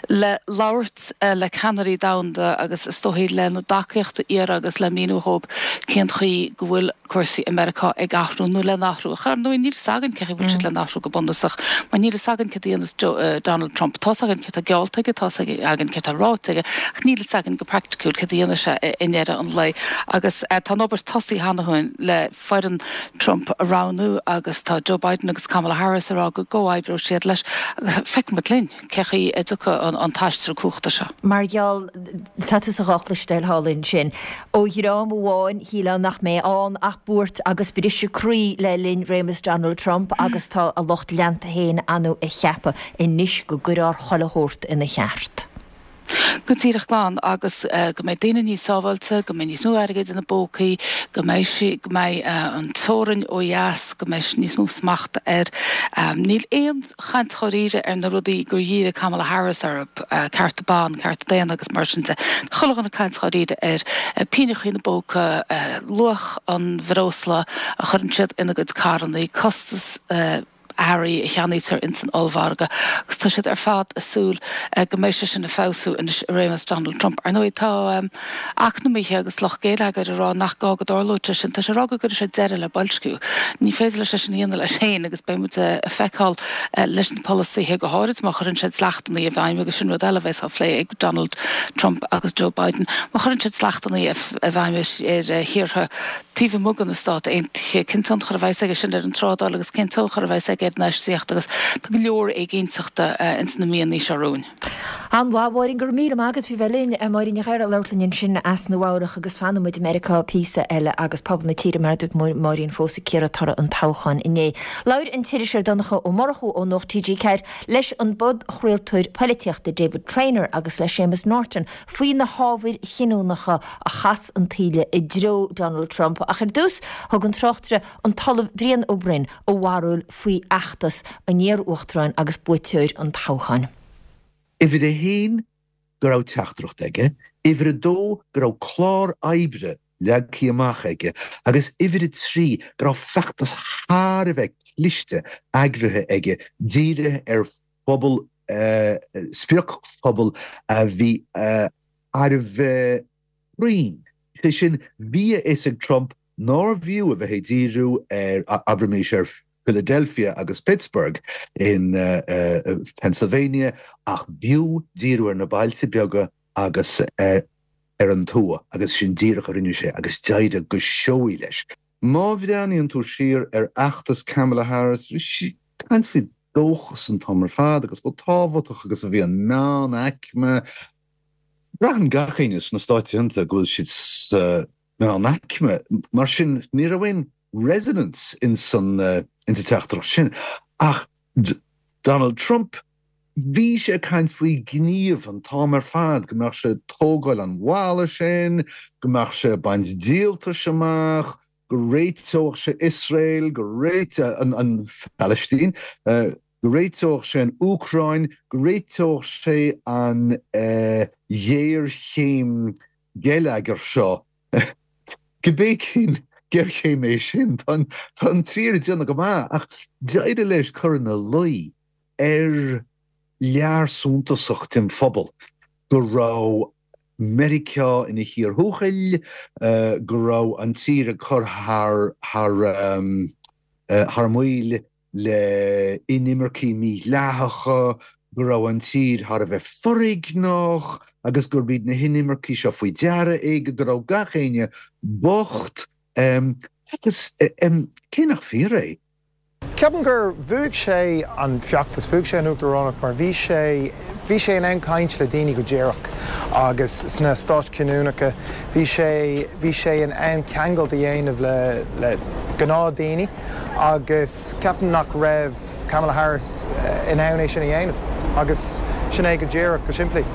le labhairt le ceannairí domhanda agus is dóichí lena dtacaíocht a iarraidh agus le míniú dhóibh cén chaoi go bhfuil cúrsaí i Meiriceá ag athrú nó le n-athrú. Ach ar ndóigh níl fhios againn cén chaoi bhfuil siad le n-athrú go bunúsach mar níl fhios againn céard a dhéanfas Donald Trump. Tá's againn céard tá geallta aige, tá's againn céard tá ráite aige ach níl fhios againn go praiticiúil céard a dhéanfaidh sé i ndeireadh an lae. Agus tá an obair tosaithe cheana féin le foireann Trump a roghnú agus tá Joe Biden agus Kamala Harris ag rá go gcomhoibreoidh siad leis agus feicfimid linn cén chaoi a dtiocfaidh an t-aistriú cumhachta seo. Mar gheall, tá tusa dhá chloisteáil thall ansin. Ó dhream amháin, shílfeá nach mbeidh ann ach buairt agus briseadh croí le linn réimeas Donald Trump agus tá a lucht leanta féin annamh a cheapadh anois go gcuirfear chuile shórt ina cheart. Go díreach glan agus go mbeidh daoine níos sábháilte, go mbeidh níos mó airgid ina bpócaí, go mbeidh sí, go mbeidh an teorainn ó dheas, go mbeidh níos mó smachta air. Níl aon chaint dháiríre ar na rudaí gur dhírigh Kamala Harris orthu, cearta ban, cearta daonna agus mar sin de. Tá chuile dhuine ag caint dháiríre ar pingin ina bpóca, luach an bhreosla a chuireann siad ina gcuid carrannaí, costas earraí a cheannaítear ins an ollmhargadh agus tá siad ar fad ag súil go mbeidh sé sin ag feabhsú anois i réimeas Donald Trump. Ar ndóigh tá eacnamaithe agus lucht geilleagair ag rá nach gá go dtarlódh sé sin. Tá sé ag rá go gcuirfidh sé deireadh le boilsciú. Ní féidir leis é sin a dhéanamh leis féin agus beidh muid ag feiceáil leis na polasaithe, go háirid má chuireann siad dleachtanna i bhfeidhm agus sin rud eile a bheas á phlé ag Donald Trump agus Joe Biden. Má chuireann siad dleachtanna i bhfeidhm ar thíortha taobh amuigh de na Stáit Aontaithe, cén tionchar a bheas aige sin ar an trádáil agus cén tionchar a bheas aige ar an infheistíocht agus tá go leor éiginnteachta ins na míonna seo romhainn. An-mhaith, a Mháirín, go raibh míle maith agat faoi bheith linn. Máirín Ní Ghadhra ag labhairt linn ansin as Nua Eabhrac agus fanfaidh muid i Meiriceá píosa eile agus pobal na tíre mar a dúirt Máirín fós ag cíoradh toradh an toghcháin inné. Labhair an t-iriseoir Donncha Ó Murchú ó Nuacht T G ceathair leis an bpodchraoltóir poilitíochta David Traynor agus le Séamus Norton faoi na hábhair chinniúnacha a chas an taoille i dtreo Donald Trump ach ar dtús thug an tráchtaire an tOllamh Brian Ó Broin a bharúil faoi fheachtas an iar-uachtaráin agus buaiteoir an toghcháin. Uimhir a haon go raibh teachtaireacht aige, uimhir a dó go raibh clár oibre leagtha amach aige agus uimhir a trí go raibh feachtas thar a bheith cliste eagraithe aige dírithe ar phobal, spriocphobal a bhí thar a bheith cruinn. Sé sin, bhí a fhios ag Trump nárbh fhiú a bheith ag díriú ar, abraimis, ar Philadelphia agus Pittsburgh in Pennsylvania ach b'fhiú díriú ar na bailte beaga agus ar an tuath agus sin díreach a rinne sé agus d'éirigh go seoigh leis. Má bhreathnaíonn tú siar ar fheachtas Kamala Harris, bhí sí ag caint faoi dóchas an t-am ar fad agus chomh tábhachtach agus a bhí an meánaicme. Braitheann gach éinne sna Stáit Aontaithe go bhfuil siad sa mheánaicme, mar sin ní raibh aon resonance ins an teachtaireacht sin. Ach Donald Trump, bhí sé ag caint faoi ghníomh an t-am ar fad, go mbeadh sé ag tógáil an bhalla sin, go mbeadh sé ag baint díoltais amach, go réiteodh sé Iosrael, go réiteodh an Phalaistín, go réiteodh sé an Úcráin, go réiteodh sé an ghéarchéim geilleagair seo, cibé cén géarchéim é sin, tá an tír ag déanamh go maith, ach d'éirigh leis cur ina luí ar lear suntasach den phobal go raibh Meiriceá ina thír thuathail, go raibh an tír ag cur thar thar maoil le inimircigh mhídhleathacha, go raibh an tír thar a bheith foréigneach agus gurb iad na hinimircigh seo faoi deara é, go raibh gach éinne bocht agus cé nach fíor é. Ceapaim gur bhuaigh sé an feachtas, bhuaigh sé an uachtaránacht mar bhí sé, bhí sé in ann caint le daoine go díreach agus sna stáit chinniúnacha bhí sé, bhí sé in ann ceangal a dhéanamh le, le gnáthdhaoine agus ceapaim nach raibh Kamala Harris in ann é sin a dhéanamh agus Sin é go díreach, go simplí.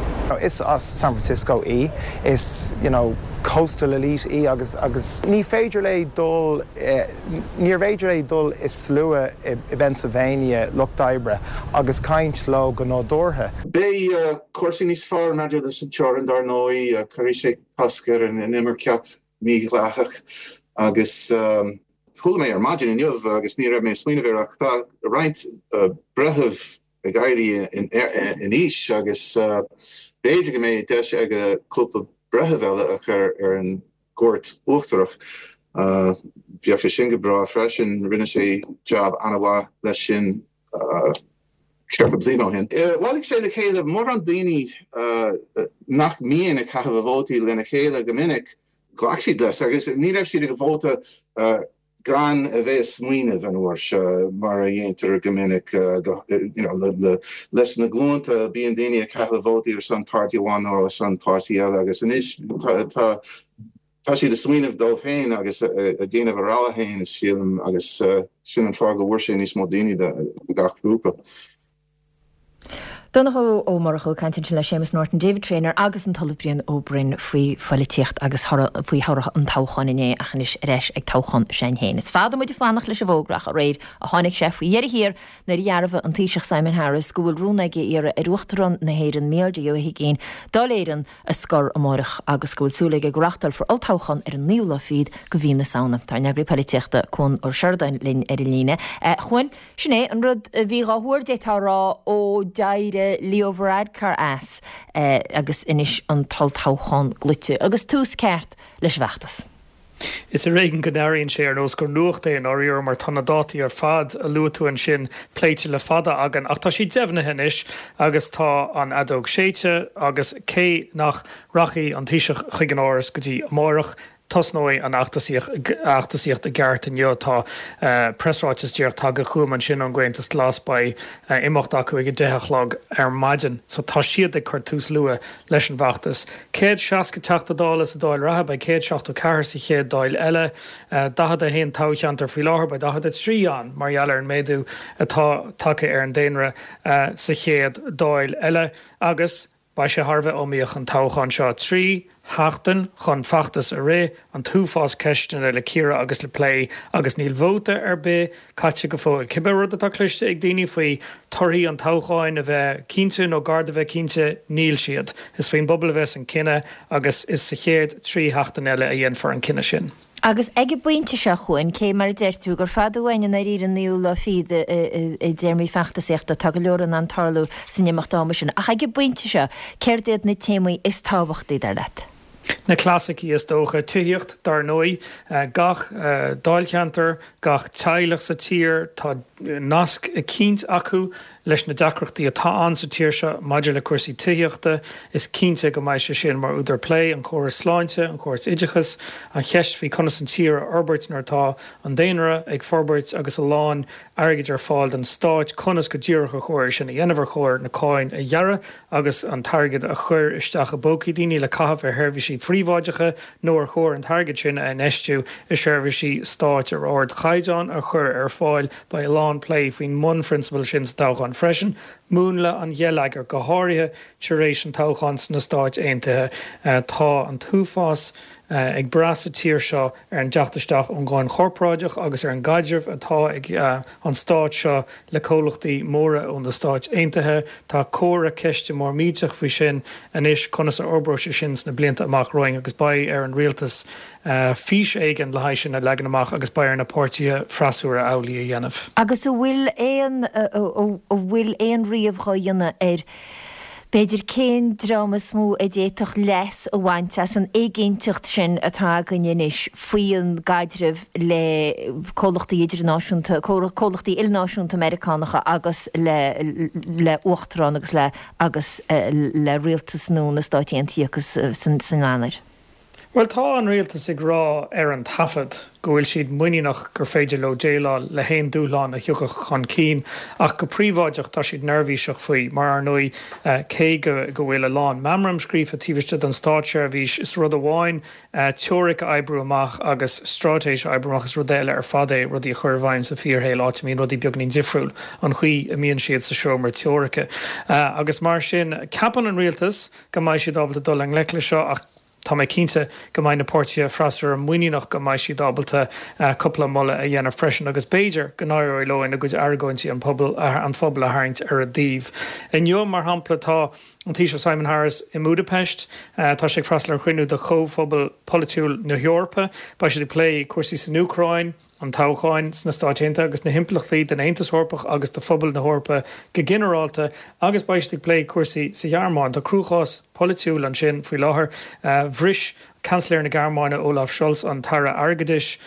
Is as San Francisco í, is you know, coastal elite í agus agus ní féidir léi dul eh, níorbh fhéidir léi dul i slua i, i Pennsylvania lucht oibre agus caint leo go nádúrtha. Beidh uh, cúrsaí níos fearr maidir leis an teorainn dar ndóigh uh, cuirfidh sé cosc ar an inimirceacht mhídhleathach agus um, chuala mé ar maidin inniu agus ní raibh mé ag smaoineamh air ach tá roinnt uh, breitheamh ag éirí in, in aois agus uh, b'fhéidir go mbeidh deis aige cúpla breitheamh eile a chur ar an gcúirt uachtarach. Uh, Bheadh sé sin go breá freisin rinne sé job an-mhaith leis sin uh, ceithre bliana ó shin. Bhailigh sé le chéile mórán daoine uh, nach mbíonn ag caitheamh a vótaí lena chéile go minic ghlac siad leis agus ní raibh siad ag vóta uh, gan a bheith ag smaoineamh an uair seo mar a dhéantar go minic leis na glúnta bíonn daoine ag caitheamh vótaí ar son páirtí amháin nó ar son páirtí eile agus anois tá tá siad ag smaoineamh dóibh féin agus ag déanamh a rogha féin is sílim agus sin an fáth go bhfuair sé níos mó daoine de gach grúpa. Donnchadh Ó Murchú ag caint ansin le Séamus Norton, David Traynor agus an tOllamh Brian Ó Broin faoi pholaitíocht agus faoi thoradh an toghcháin inné ach anois ar ais ag toghchán Shinn Féin. Is fada muid ag fanacht leis an bhfógra ach aréir a tháinig sé faoi dheireadh thiar nuair a dhearbhaigh an Taoiseach Simon Harris go bhfuil rún aige iarraidh ar Uachtarán na hÉireann Micheál D. Ó hUigínn Dáil Éireann a scor amárach agus go bhfuil súil aige go reáchtálfar olltoghchán ar an naoú lá fichead de mhí na Samhna. Tá ár n-eagraí polaitíochta Cuan Ó Seireadáin linn ar an líne. Chuan sin é an rud a bhí á thuar d'fhéadfá a rá ó d'éirigh Leo Varadkar as eh, agus anois an t-olltoghchán glaoite agus tús ceart leis an bhfeachtas. Is ar éigean go n-airíonn sé ar nós gur nuacht é an áiríre mar tá na dátaí ar fad a luaigh tú ansin pléite le fada againn ach tá sí deimhnithe anois agus tá an fheadóg séidte agus cé nach rachaidh an Taoiseach chuig an Áras go dtí amárach tosnóidh an fheachtasaíocht i gceart inniu tá uh, preasráiteas díreach tagtha chugam ansin ón gComhaontas Glas beidh uh, imeacht acu ag a deich a chlog ar maidin, so tá siad ag cur tús luath leis an bhfeachtas. Céad seasca teachta dála sa dáil reatha beidh céad seachtó ceathair sa chéad dáil eile uh, daichead a haon toghcheantar faoi láthair beidh daichead a trí ann mar gheall ar an méadú atá tagtha ar an daonra uh, sa chéad dáil eile agus beidh sé thar a bheith iomaíoch an toghchán seo trí sheachtain chun feachtas a rith an t-uafás ceisteanna le cíoradh agus le plé agus níl vóta ar bith caite go fóill. Cibé rud atá cloiste ag daoine faoi torthaí an toghcháin a bheith cinnte nó gar do bheith cinnte níl siad. Is faoin bpobal a bheas an cinneadh agus is sa chéad trí sheachtain eile a dhéanfar an cinneadh sin. Agus ag an bpointe seo chugainn cé mar a deir tú gur fada uainn an ar an naoú lá fichead i dtéarmaí feachtasaíochta tá go leor in ann tarlú san imeacht ama sin. Ach ag an bpointe seo, céard iad na téamaí is tábhachtaí dar leat? Na clasaicí is dócha tithíocht dar ndóigh gach dáilcheantar, gach teaghlach sa tír tá nasc eicínt acu leis na deacrachtaí atá ann sa tír seo maidir le cúrsaí tithíochta, is cinnte go mbeidh sé sin mar údar plé an córas sláinte, an córas oideachais, an cheist faoi conas an tír a fhorbairt nuair atá an daonra ag forbairt agus a lán airgid ar fáil don stát conas go díreach ar chóir sin a dhéanamh ar chóir na cáin a ghearradh agus an t-airgead a chur isteach i bpócaí daoine le caitheamh ar sheirbhísí príobháideacha nó ar chóir an t-airgead sin a infheistiú i seirbhísí stáit ar ardchaighdeán a chur ar fáil beidh a lán plé faoin mbunphrionsabal sin sa toghchán freisin. Múnla an gheilleagair go háirithe tar éis an toghchán sna Stáit Aontaithe tá an t-uafás ag brath sa tír seo ar an dteacht isteach ón gcáin chorparáideach agus ar an gcaidreamh atá ag an stát seo le comhlachtaí móra ó na Stáit Aontaithe. Tá comhra ceiste mór millteach faoi sin anois conas a fhorbróidh sé sin sna blianta amach romhainn agus beidh ar an rialtas fís éigin le haghaidh sin a leagan amach agus beidh ar na páirtithe freasúra amhlaidh a dhéanamh. Agus an bhfuil aon an bhfuil aon ríomh á dhéanamh ar b'fhéidir cén dream is mó a d'fhéadfadh leas a bhaint as an éiginnteacht sin atá againn anois faoin gcaidreamh le comhlachtaí idirnáisiúnta, comhlachtaí ilnáisiúnta Meiriceánacha agus le le uachtarán agus le agus le rialtas nua na Stáit Aontaithe agus san san Eanáir. Bhuel, tá an rialtas ag rá ar an taifead go bhfuil siad muiníneach gur féidir leo déileáil le haon dúshlán a thiocfadh chun cinn, ach go príobháideach tá siad neirbhíseach faoi, mar ar ndóigh cé go go bhfuil a lán meamram scríofa taobh istigh den státseirbhís, is rud amháin teoiric a oibriú amach agus straitéis a oibriú amach, is rud eile ar fad é rudaí a chur i bhfeidhm sa fíorshaol, áit a mbíonn rudaí beagainín difriúil an chaoi a mbíonn siad sa seomra teoirice. Agus mar sin, ceapann an rialtas go mbeidh siad ábalta dul i ngleic leis seo, ach tá mé cinnte go mbeidh na páirtithe freasúra muiníneach go mbeidh siad ábalta cúpla moladh a dhéanamh freisin agus b'fhéidir go n-éireoidh leo ina gcuid argóintí an pobal an phobal a tharraingt ar a dtaobh. Inniu, mar shampla, tá an Taoiseach Simon Harris i mBudapest. Tá sé ag freastal ar chruinniú de Chomhphobal Polaitiúil na hEorpa. Beidh siad ag plé cúrsaí san Úcráin, an toghcháin sna Stáit Aontaithe agus na himpleachtaí don Aontas Eorpach agus do phobal na hEorpa go ginearálta agus beidh siad ag plé cúrsaí sa Ghearmáin. Tá cruachás polaitiúil ansin faoi láthair. Bhris Seansailéir na Gearmáine Olaf Scholz an tAire Airgeadais,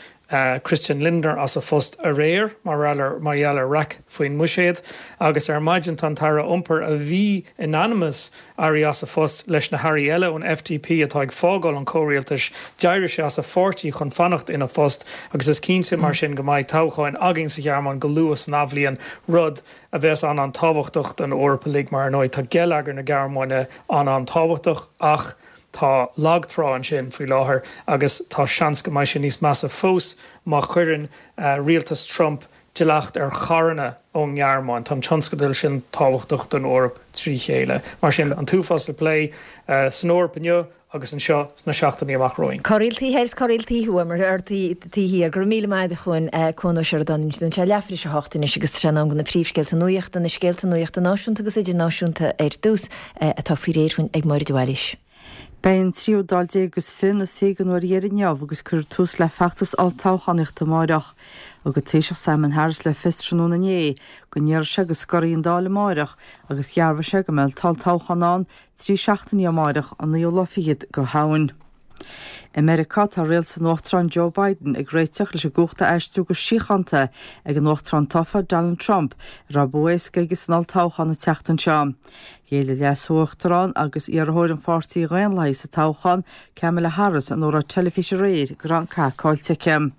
Christian Lindner as a phost aréir mar mar gheall ar raic faoin mbuiséad agus ar maidin tá an tAire Iompair a bhí in ainm is éirí as a phost leis na hairí eile ón F D P atá ag fágáil an chomhrialtais. D'éirigh sé as a pháirtí chun fanacht ina phost agus is cinnte mar sin go mbeidh toghcháin againn sa Ghearmáin go luath san athbhliain, rud a bheas an-an-tábhachtach don Eoraip uilig mar ar ndóigh tá geilleagar na Gearmáine an-an-tábhachtach ach tá lag trá ansin faoi láthair agus tá seans go mbeidh sé níos measa fós má chuireann rialtas Trump dleacht ar charranna ón nGearmáin. Tá an tionscadal sin tábhachtach don Eoraip trí chéile. Mar sin, an t-uafás le plé san Eoraip inniu agus anseo sna seachtainí amach romhainn. Corraíl taobh thoir is corraíl taobh thuaidh mar ar taobh thiar. Go raibh míle maith agat a Chuain, Cuan Ó Seireadáin. Tá sé leathuair tar éis a hocht anois agus tá sé in am do na príomhscéalta nuachta, na scéalta nuachta náisiúnta agus idirnáisiúnta ar dtús, atá faoi réir dúinn ag Máire de Bhailís. Beidh an tríú Dáil déag agus fiche ina suí den uair dheiridh inniu agus cuirfear tús le feachtas olltoghchánaíochta amáireach. Thug an Taoiseach Simon Harris le fios tráthnóna inné go ndéarfaidh sé go scorfaidh an Dáil amáireach agus dhearbhaigh sé go mbeidh olltoghchán ann trí seachtainí ó amáireach, an naoú lá fichead de Shamhain. I Meiriceá, tá rialtas an Uachtaráin Joe Biden ag réiteach leis an gcumhacht a aistriú go síochánta ag an Uachtarán tofa Donald Trump, a raibh bua éasca aige san olltoghchán an tseachtain seo. Ghéill an leas-uachtarán agus iarrthóir an pháirtí Dhaonlathaigh sa toghchán, Kamala Harris, in óráid teilifíse aréir go raibh an cath caillte aici.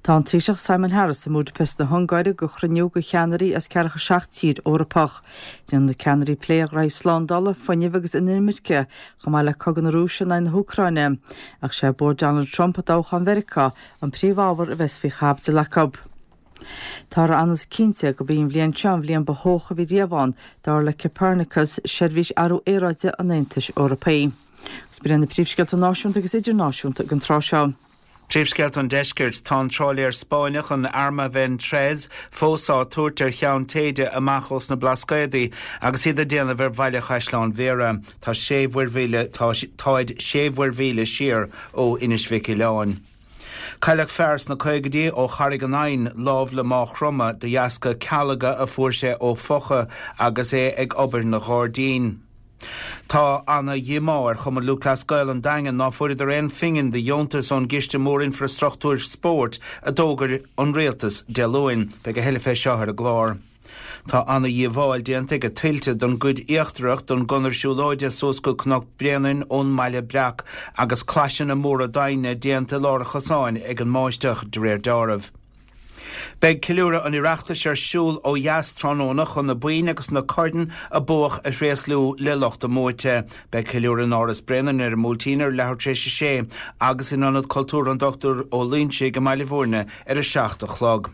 Tá an Taoiseach Simon Harris i mBudapest na hUngáire do chruinniú de cheannairí as ceathracha seacht tír Eorpach. Déanfaidh na ceannairí plé ar ghraithí slándála, fuinnimh agus inimirce, chomh maith le cogadh na Rúise in aghaidh na hÚcráine. Ach sé bua Donald Trump i dtoghchán Mheiriceá an príomhábhar a bheas faoi chaibidil acu. Táthar an-chinnte gurb í an bhliain seo an bhliain ba theocha a bhí riamh ann, dar le Copernicus, seirbhís athrú aeráide an Aontais Eorpaigh. Agus b'in na príomhscéalta náisiúnta agus idirnáisiúnta ag an tráth seo. Príomhscéalta an Deiscirt. Tá an trálaer Spáinneach an Arma Ven Tres fós á tabhairt ar cheann téide amach os na Blascaodaí agus iad ag déanamh ar bhaile Chaisleán Bhéarra. Tá sé mhuirmhíle táid sé mhuirmhíle siar ó Inis Mhic Uileáin. Cailleadh fear sna caogaidí ó Charraig an Eidhinn láimh le Máigh Chromtha de dheasca calga a fuair sé ó phocha agus é ag obair ina ghairdín. Tá ana-dhíomá ar Chumann Lúthchleas Gael an Daingin ná fuaireadar aon phingin de dheontas ón gCiste Mór Infrastruchtúir Spóirt a d'fhógair an rialtas Dé Luain. Beidh a thuilleadh fé seo ar an gclár. Tá ana-dhíobháil déanta ag tuilte don gcuid íochtarach don gconair siúlóide suas go Cnoc Bréanainn ón mBaile Breac agus claiseanna móra daingne déanta i lár an chosáin ag an mbáisteach de réir dealraimh. Beidh ceiliúradh an Oireachtais ar siúl ó dheas tráthnóna chun na boinn agus na coirn a buadh a thréaslú le lucht a mbuaite. Beidh ceiliúradh in Áras Bréanainn ar an mBuailtín ar leathuair tar éis a sé agus in Ionad Cultúrtha an Dochtúir Ó Loingsigh i mBaile Bhúirne ar a seacht a chlog.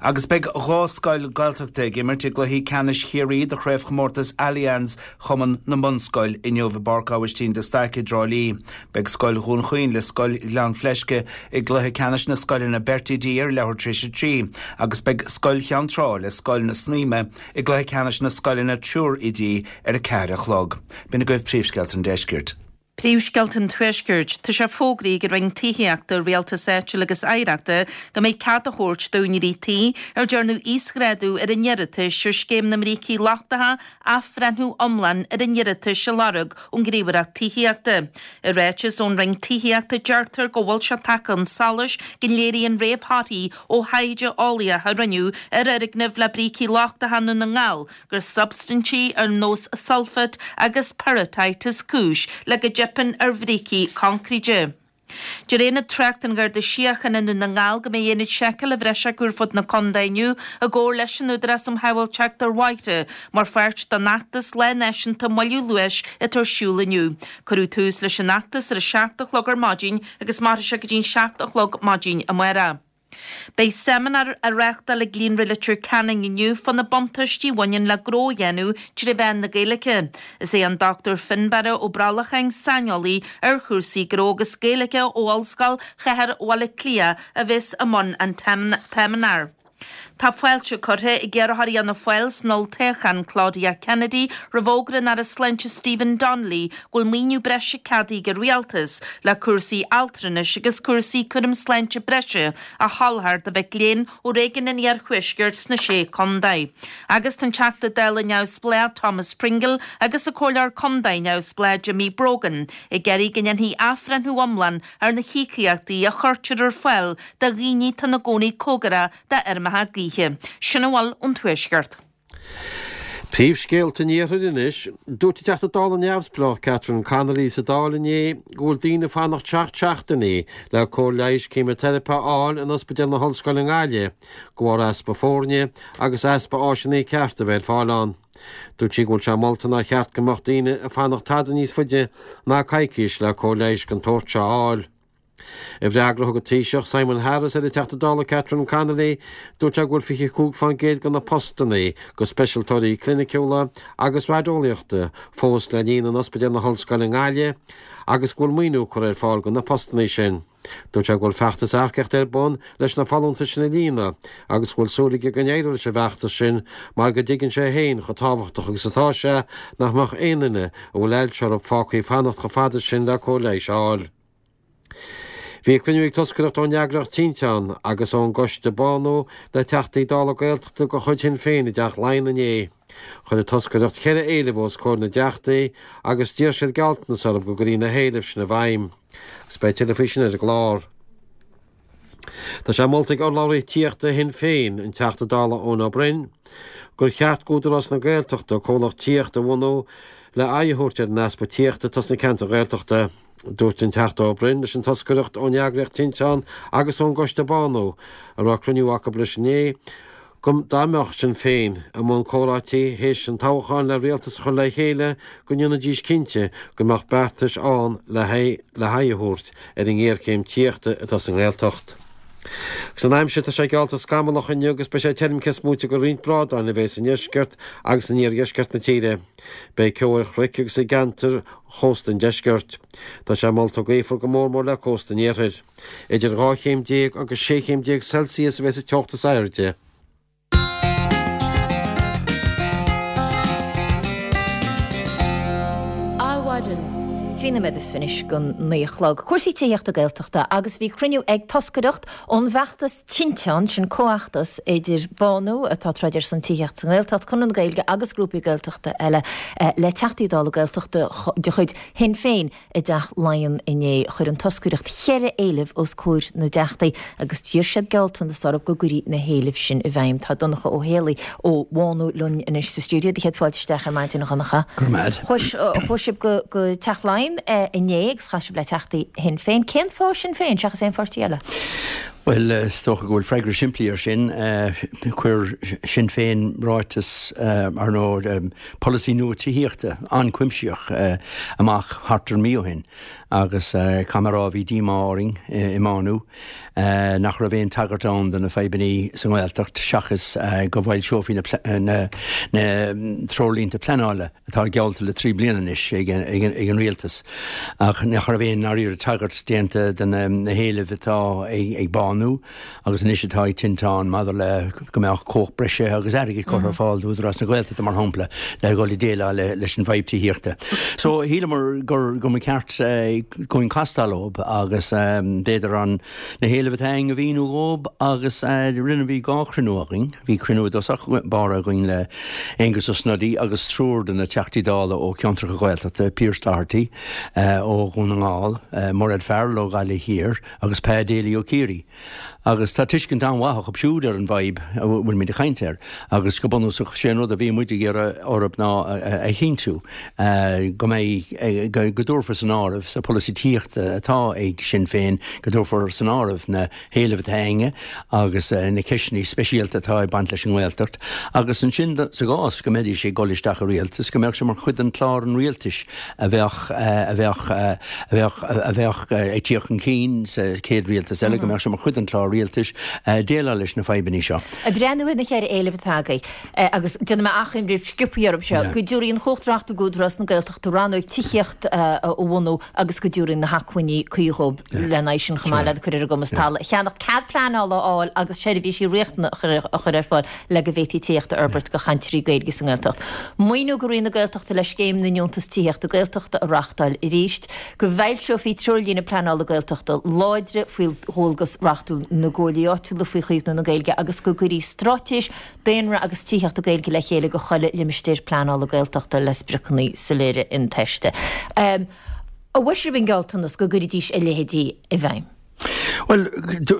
Agus beidh dhá scoil Gaeltachta ag imirt i gcluichí ceannais Chiarraí de chraobhchomórtas Allianz Chumann na mBunscol inniu i bPáirc Aibhistín de Staic i dTrá Lí. Beidh scoil Dhún Chaoin le scoil Ghleann Fleisce i gcluiche ceannais na scoileanna beirt oidí ar leathuair tar éis a trí agus beidh scoil Cheann Trá le scoil na Snaidhme i gcluiche ceannais na scoileanna triúr oidí ar a ceathair a chlog. B'in agaibh príomhscéalta an deiscirt. Príomhscéalta an Tuaiscirt. Tá sé fógraithe ag an Roinn Tithíochta, Rialtais Áitiúil agus Oidhreachta go mbeidh cead á thabhairt d'úinéirí tí ar dearnadh íosghrádú ar a n-iarratais ar Scéim na mBrící Lochtacha athbhreithniú iomlán ar a n-iarratais a lorg ón nGníomhaireacht Tithíochta. I ráiteas ón Roinn Tithíochta deirtear go bhfuil sé tagtha chun solais go léiríonn réamhthorthaí ó thaighde eolaíoch a rinneadh ar fhoirgnimh le brící lochtacha i nDún na nGall gur substaintí ar nós sulfate agus pyrrhotite is cúis le go dteipeann ar bhrící coincréite. Deir Aonad Tráchta an Gharda Síochána i nDún na nGall go mbeidh aonad seiceála bhreise acu ar fud na contae inniu i gcomhar leis an Údarás um Shábháilteacht ar Bhóithre mar pháirt den fheachtas Lá Náisiúnta Moilliú Luais atá ar siúl inniu. Cuireadh tús leis an fheachtas ar a seacht a chlog ar maidin agus mairfidh sé go dtí'n seacht a chlog maidin amárach. Beidh seimineár á reáchtáil ag Líonra Leitir Ceanainn inniu fá na buntáistí a bhaineann le gnó a dhéanamh trí mheán na Gaeilge. Is é an Dochtúir Fionnbarra Ó Brollacháin, saineolaí ar chúrsaí gnó agus Gaeilge ó Ollscoil Chathair Bhaile Átha Cliath, a bheas i mbun an tseimineáir. Tá fáilte curtha ag iarrthóir Fhianna Fáil san olltoghchán Claudia Kennedy roimh fhógra an Aire Sláinte Stephen Donnelly go bhfuil maoiniú breise ceadaithe ag an Rialtas le cúrsaí altranais agus cúrsaí cúram sláinte breise a sholáthar do mhic léinn ó réigiún an Iarthuaiscirt sna Sé Chontae. Agus tá an Teachta Dála neamhspleách Thomas Pringle agus an Comhairleoir Contae neamhspleách Jimmy Brogan ag iarraidh go ndéanfaí athbhreithniú iomlán ar na híocaíochtaí a chuirtear ar fáil do dhaoine atá ina gcónaí cóngarach d'fheirmeacha gaoithe. Sin a bhfuil ón Tuaisceart. Príomhscéalta an Iarthair anois. Dúirt an Teachta Dála neamhspleách Catherine Connolly sa Dáil inné go bhfuil daoine ag fanacht seacht seachtainí le cóir leighis céimiteiripe a fháil in Ospidéal na hOllscoile i nGaillimh de bharr easpa foirne agus easpa áiseanna cearta a bheith ar fáil ann. Dúirt sí go bhfuil sé molta nár cheart go mbeadh daoine ag fanacht tada níos faide ná coicís le cóir leighis den tsórt seo a fháil. I bhfreagra a thug an Taoiseach Simon Harris ar an Teachta Dála Catherine Connolly, dúirt sé go bhfuil fiche cúig fán gcéad de na postanna do speisialtóirí cliniciúla agus raideolaíochta fós le líonadh in Ospidéal na hOllscoile i nGaillimh agus go bhfuil maoiniú curtha ar fáil do na postanna sin. Dúirt sé go bhfuil feachtas earcaíochta ar bun leis na folúntais sin a líonadh agus go bhfuil súil aige go n-éireoidh leis an bhfeachtas sin mar go dtuigeann sé féin chomh tábhachtach agus atá sé nach mbeadh aon duine a bhfuil ailse orthu fágtha ag fanacht chomh fada sin le cóir leighis a fháil. Bhí cruinniú ag toscaireacht ón eagraíocht Tinteán agus ón gcoiste Bánú le Teachtaí Dála Gaeltachta de chuid Shinn Féin i dTeach Laighean inné. Chuir an toscaireacht ceithre éileamh os comhair na dTeachtaí agus d'iarr siad gealltanas orthu go gcuirfí na héilimh sin i bhfeidhm. Agus beidh tuilleadh faoi sin ar an gclár. Tá sé molta ag urlabhraí tithíochta Shinn Féin, an Teachta Dála Eoin Ó Broin, gur cheart d'Údarás na Gaeltachta comhlacht tithíochta a bhunú le aghaidh a thabhairt ar an easpa tithíochta atá sna ceantair Ghaeltachta. Dúirt an Teachta Ó Broin leis an toscaireacht ón eagraíocht Tinteán agus ón gCoiste Bánú, a raibh cruinniú acu leis inné, go dá mbeadh Sinn Féin i mbun comhráití théis an toghcháin le rialtas a chur le chéile go ndéanfaidís cinnte go mbeadh beartais ann le haghaidh a thabhairt ar an ngéarchéim tithíochta atá sa nGaeltacht. Agus an aimsir, tá sé geallta scamallach inniu agus beidh sé tirim cés móite de roinnt brádáin a bheas i ndeisceart agus in iardheisceart na tíre. Beidh ceo ar chnoic agus i gceantair chósta an deiscirt. Tá sé molta gaofar go mór mór le cósta an iarthair. Idir dhá chéim déag agus sé chéim déag Celsius a bheas an teocht is airde. Adhmhaidin. Trí nóiméad is fiche anois don naoi a chlog. Cúrsaí tithíochta Gaeltachta agus bhí cruinniú ag toscaireacht ón bhfeachtas Tinteán, sin comhfheachtas idir Bánú, atá ag troid ar son tithíocht sa nGaeltacht, Conradh na Gaeilge agus grúpaí Gaeltachta eile le Teachtaí Dála Gaeltachta de chuid Shinn Féin i dTeach Laighean inné. Chuir an toscaireacht cheithre éileamh os comhair na dTeachtaí agus d'iarr siad gealltanas orthu go gcuirfí na héilimh sin i bhfeidhm. Tá Donncha Ó Héalaí ó Bhánú linn anois sa stiúideo. Do chéad fáilte isteach ar maidin, a Dhonncha. Go raibh maith agat. Chuaigh sibh go go Teach Laighean inné agus chas sibh le Teachtaí Shinn Féin. Cén fáth Sinn Féin seachas aon pháirtí eile? Bhuel, is dócha go bhfuil freagra simplí ar sin. Chuir Sinn Féin ráiteas, ar ndóigh, polasaí nua tithíochta an-chuimsitheach amach thart ar mí ó shin agus caithfidh mé a rá bhí díomá orainn i mBánú nach raibh aon tagairt ann do na fadhbanna sa nGaeltacht seachas go bhfoilseofaí na na treoirlínte pleanála atá geallta le trí bliana anois ag an rialtas ach nach raibh aon ndáiríre tagairt déanta do na héilimh atá ag Bánú agus anois atá ag Tinteán maidir le go mbeadh cumhacht breise agus airgead curtha ar fáil d'Údarás na Gaeltachta mar shampla le dhul ag déileáil leis an bhfadhb tithíochta. So shíleamar gur go mba cheart dúinn castáil leo agus b'fhéidir an na héilimh atá againn a mhíniú dhóibh agus rinne bhí dhá chruinniú againn, bhí cruinniú i dtosach báire againn le Aengus Ó Snodaigh agus triúr de na Teachtaí Dála ó cheantracha Gaeltachta, Pearse Doherty ó Dhún na nGall, Mairéad Farrell ó Ghaillimh Thiar agus Pa Daly ó Chiarraí. Agus tá tuiscint an-mhaith acu siúd ar an bhfadhb a bhfuilimid ag caint air agus go bunúsach sé an rud a bhí muid ag iarraidh orthu ná a chinntiú go mbeidh, go dtabharfar san áireamh sa pholasaí tithíochta atá ag Sinn Féin, go dtabharfar san áireamh na héilimh atá againne agus na ceisteanna speisialta atá ag baint leis an nGaeltacht agus ansin sa gcás go mbeidís ag dul isteach i rialtas go mbeadh sé mar chuid den chlár an rialtais a bheadh a bheadh a bheadh a bheadh ag tíocht chun cinn sa chéad rialtas eile, go mbeadh sé mar chuid den chlár rialtais déileáil leis na fadhbanna seo. Ag breathnú ar na ceithre éileamh atá agaibh, agus déanfaidh mé achoimre sciobtha orthu seo, go dtabharfaí an chumhacht reachtúil d'Údarás na Gaeltachta rannóg tithíochta a bhunú agus go dtabharfaí na hacmhainní cuí dhóibh lena aghaidh sin chomh maith le cur ar a gcumas talamh a cheannach, cead pleanála a fháil agus seirbhísí riachtanacha a chur ar fáil le go bhféadfaí tithíocht a fhorbairt do chainteoirí Gaeilge sa nGaeltacht. Maoiniú go Roinn na Gaeltachta le Scéim na nDeontas Tithíochta Gaeltachta a reáchtáil arís, go bhfoilseofaí treoirlíne pleanála Gaeltachta láidre faoi dhualgas reachtúil na gcomhairlí áitiúla faoi chaomhnú na Gaeilge agus go gcuirfí straitéis daonra agus tithíochta Gaeilge le chéile do chuile limistéar pleanála Gaeltachta le spriocanna soiléire intomhaiste. An bhfuair sibh an gealltanas go gcuirfidís a leithéidí i bhfeidhm? Bhuel,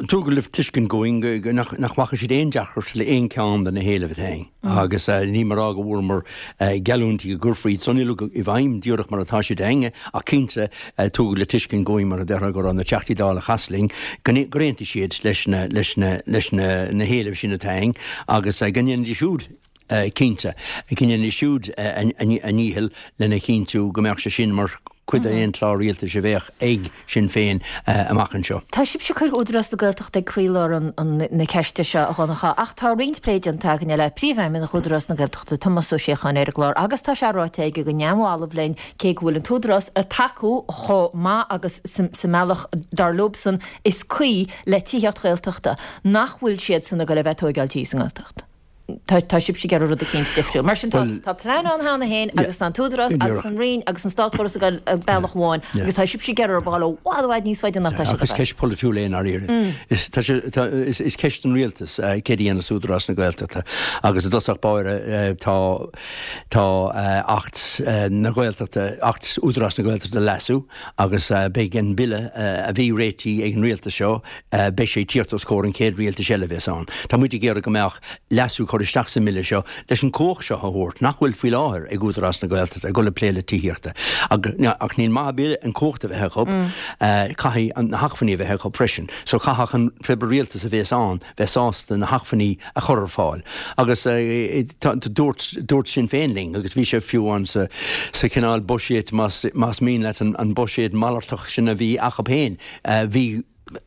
tugadh le tuiscint dúinn nach bhfaca siad aon deacracht le aon cheann de na héilimh atá againn agus níl mé ag rá go bhfuaireamar geallúintí go gcuirfí iad san uilig i bhfeidhm díreach mar atá siad againne ach cinnte tugadh le tuiscint dúinn mar a déarfá go raibh na Teachtaí Dála a chas linn gur aontaigh siad leis na leis na leis na na héilimh sin atá againn agus go ndéanfaidís siúd cinnte go ndéanfaidís siúd a ndícheall lena chinntiú go mbeadh sé sin mar chuid d'aon chlár rialtais a bheadh ag Sinn Féin amach anseo. Tá sibhse ag cur Údarás na Gaeltachta ag croílár na ceiste seo, a Dhonncha, ach tá roinnt plé déanta againne le Príomhfheidhmeannach Údarás na Gaeltachta, Tomás Ó Síocháin, ar an gclár agus tá sé ráite aige go neamhbhalbh linn cé go bhfuil an tÚdarás ag tacú chomh maith agus sa mbealach dar leobsan is cuí le tithíocht Ghaeltachta, nach bhfuil siadsan ag dul a bheith ag tóigeáil tí sa nGaeltacht. Tá tá sibhse ag iarraidh rud eicínt difriúil. Mar sin tá tá plean ann cheana féin agus tá an tÚdarás agus an Roinn agus an státchóras ag dul bealach amháin agus tá sibhse ag iarraidh a ghabháil i bhfad i bhfad níos faide ná tá siad Ach is ceist polaitiúil é i ndáiríre. Is tá sé tá is is ceist don rialtas céard a dhéanfas Údarás na Gaeltachta agus i dtosach báire tá tá Acht na Gaeltachta Acht Údarás na Gaeltachta a leasú agus beidh an bille a bhí réitithe ag an rialtas seo beidh sé ag tíocht os comhair an chéad rialtais eile a bheas ann. Tá muid ag iarraidh go mbeadh leasú curtha isteach sa mbille seo leis an chumhacht seo a thabhairt, nach bhfuil faoi láthair ag Údarás na Gaeltachta, ag dul ag plé le tithíochta. Ach níl maith ar bith an chumhacht a bheith acu, caithfidh na hacmhainní a bheith acu freisin. So caithfidh an pé rialtas a bheas ann bheith sásta na hacmhainní a chur ar fáil. Agus dúirt, dúirt Sinn Féin linn, agus bhí sé fiú ann sa, sa chineál buiséad, más, más mian leat an buiséad malartach sin a bhí acu féin, bhí,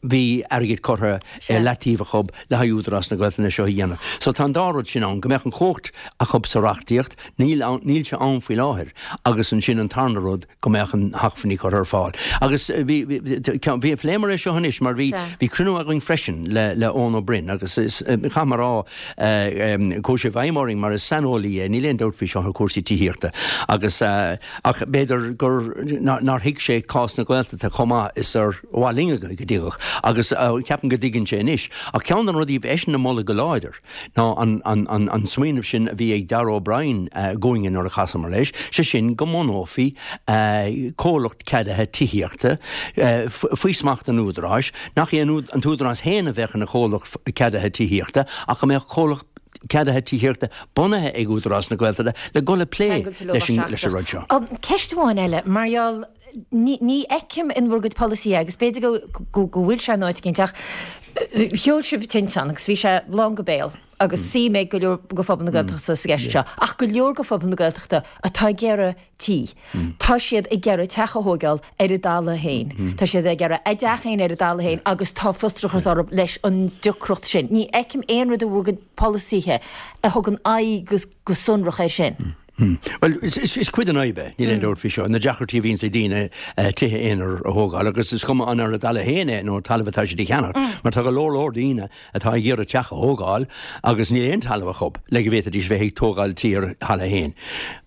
bhí airgead curtha ar leataobh acu le haghaidh Údarás na Gaeltachta seo a dhéanamh. So tá an dá rud sin ann, go mbeadh an chumhacht acu sa reachtaíocht, níl ann, níl sé ann faoi láthair, agus ansin an tarna rud, go mbeadh na hacmhainní curtha ar fáil. Agus bhí, bhí, phléamar é seo anois mar bhí, bhí cruinniú againn freisin le, le Eoin Ó Broin agus is, caithfidh mé a rá, chuaigh sé i bhfeidhm orainn mar is saineolaí é, níl aon dabht faoi seo ar chúrsaí tithíochta agus, ach b'fhéidir gur, nár thuig sé cás na Gaeltachta chomh maith is ar mhaith linn go dtuigfeadh agus ceapaim go dtuigeann sé anois. Ach ceann de na rudaí a bhí eisean a mholadh go láidir ná an smaoineamh sin a bhí ag Darragh O'Brien dhúinne nuair a chasamar leis, sé sin go mbunófaí comhlacht ceadaithe tithíochta faoi smacht an Údaráis, nach é an tÚdarás féin a bheadh ina chomhlacht ceadaithe tithíochta ach go mbeadh comhlacht ceadaithe tithíochta bunaithe ag Údarás na Gaeltachta le dul ag plé leis an rud seo. Ceist amháin eile, mar gheall, ní fheicim in bhur gcuid polasaithe, agus b'fhéidir go bhfuil sé in áit eicínt, ach sheol sibh tinteán agus bhí sé lán go béal agus suim ag go leor de phobal na Gaeltachta sa gceist seo, ach go leor de phobal na Gaeltachta atá ag iarraidh tí. Tá siad ag iarraidh teach a thóigeáil ar a dtalamh féin. Tá siad ag iarraidh a dteach féin ar a dtalamh féin agus tá frustrachas orthu leis an deacracht sin. Ní fheicim aon rud i bhur gcuid polasaithe a thugann aghaidh go sonrach air sin. Bhuel, is cuid den fhadhb é, níl aon dabht faoi seo, na deacrachtaí a bhíonns ag daoine tithe aonair a thógáil agus is cuma an ar a dtalamh féin é nó talamh atá siad a cheannach, mar tá go leor leor daoine atá ag iarraidh teach a thógáil agus níl aon talamh acu le go bhféadfaidís bheith ag tógáil tí ar a dtalamh féin.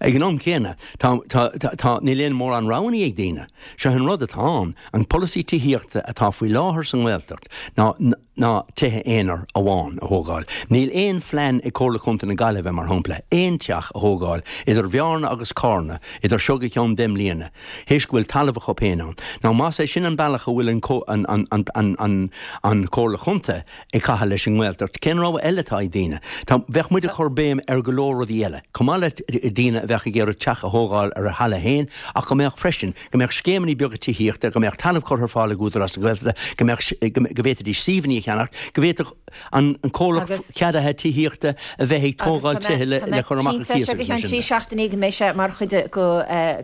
Ag an am céanna, tá, tá, tá, níl aon mórán roghanna ag daoine. Seo an rud atá ann, an polasaí tithíochta atá faoi láthair sa nGaeltacht ná, ná tithe aonair amháin a thógáil. Níl aon phlean ag Comhairle Chontae na Gaillimhe, mar shampla, aon teach a thógáil idir Bhearna agus Carna idir seo go ceann deich mbliana, théis go bhfuil talamh acu féin ann. Now más é sin an bealach a bhfuil an an an Chomhairle Chontae ag caitheamh leis an nGaeltacht, cén rogha eile atá ag daoine? Tá, bheadh muid ag cur béim ar go leor rudaí eile, chomh maith le daoine a bheadh ag iarraidh teach a thógáil ar a thalamh féin ach go mbeadh freisin, go mbeadh scéimeanna beaga tithíochta, go mbeadh talamh curtha ar fáil ag Údarás na Gaeltachta, go mbeadh, go bhféadfaidís suíomhanna a cheannacht, go bhféadfadh an comhlacht ceadaithe tithíochta a bheith ag tógáil tithe le cur amach ar cíos agus mar sin de. Trí seachtainí go mbeidh sé mar chuid de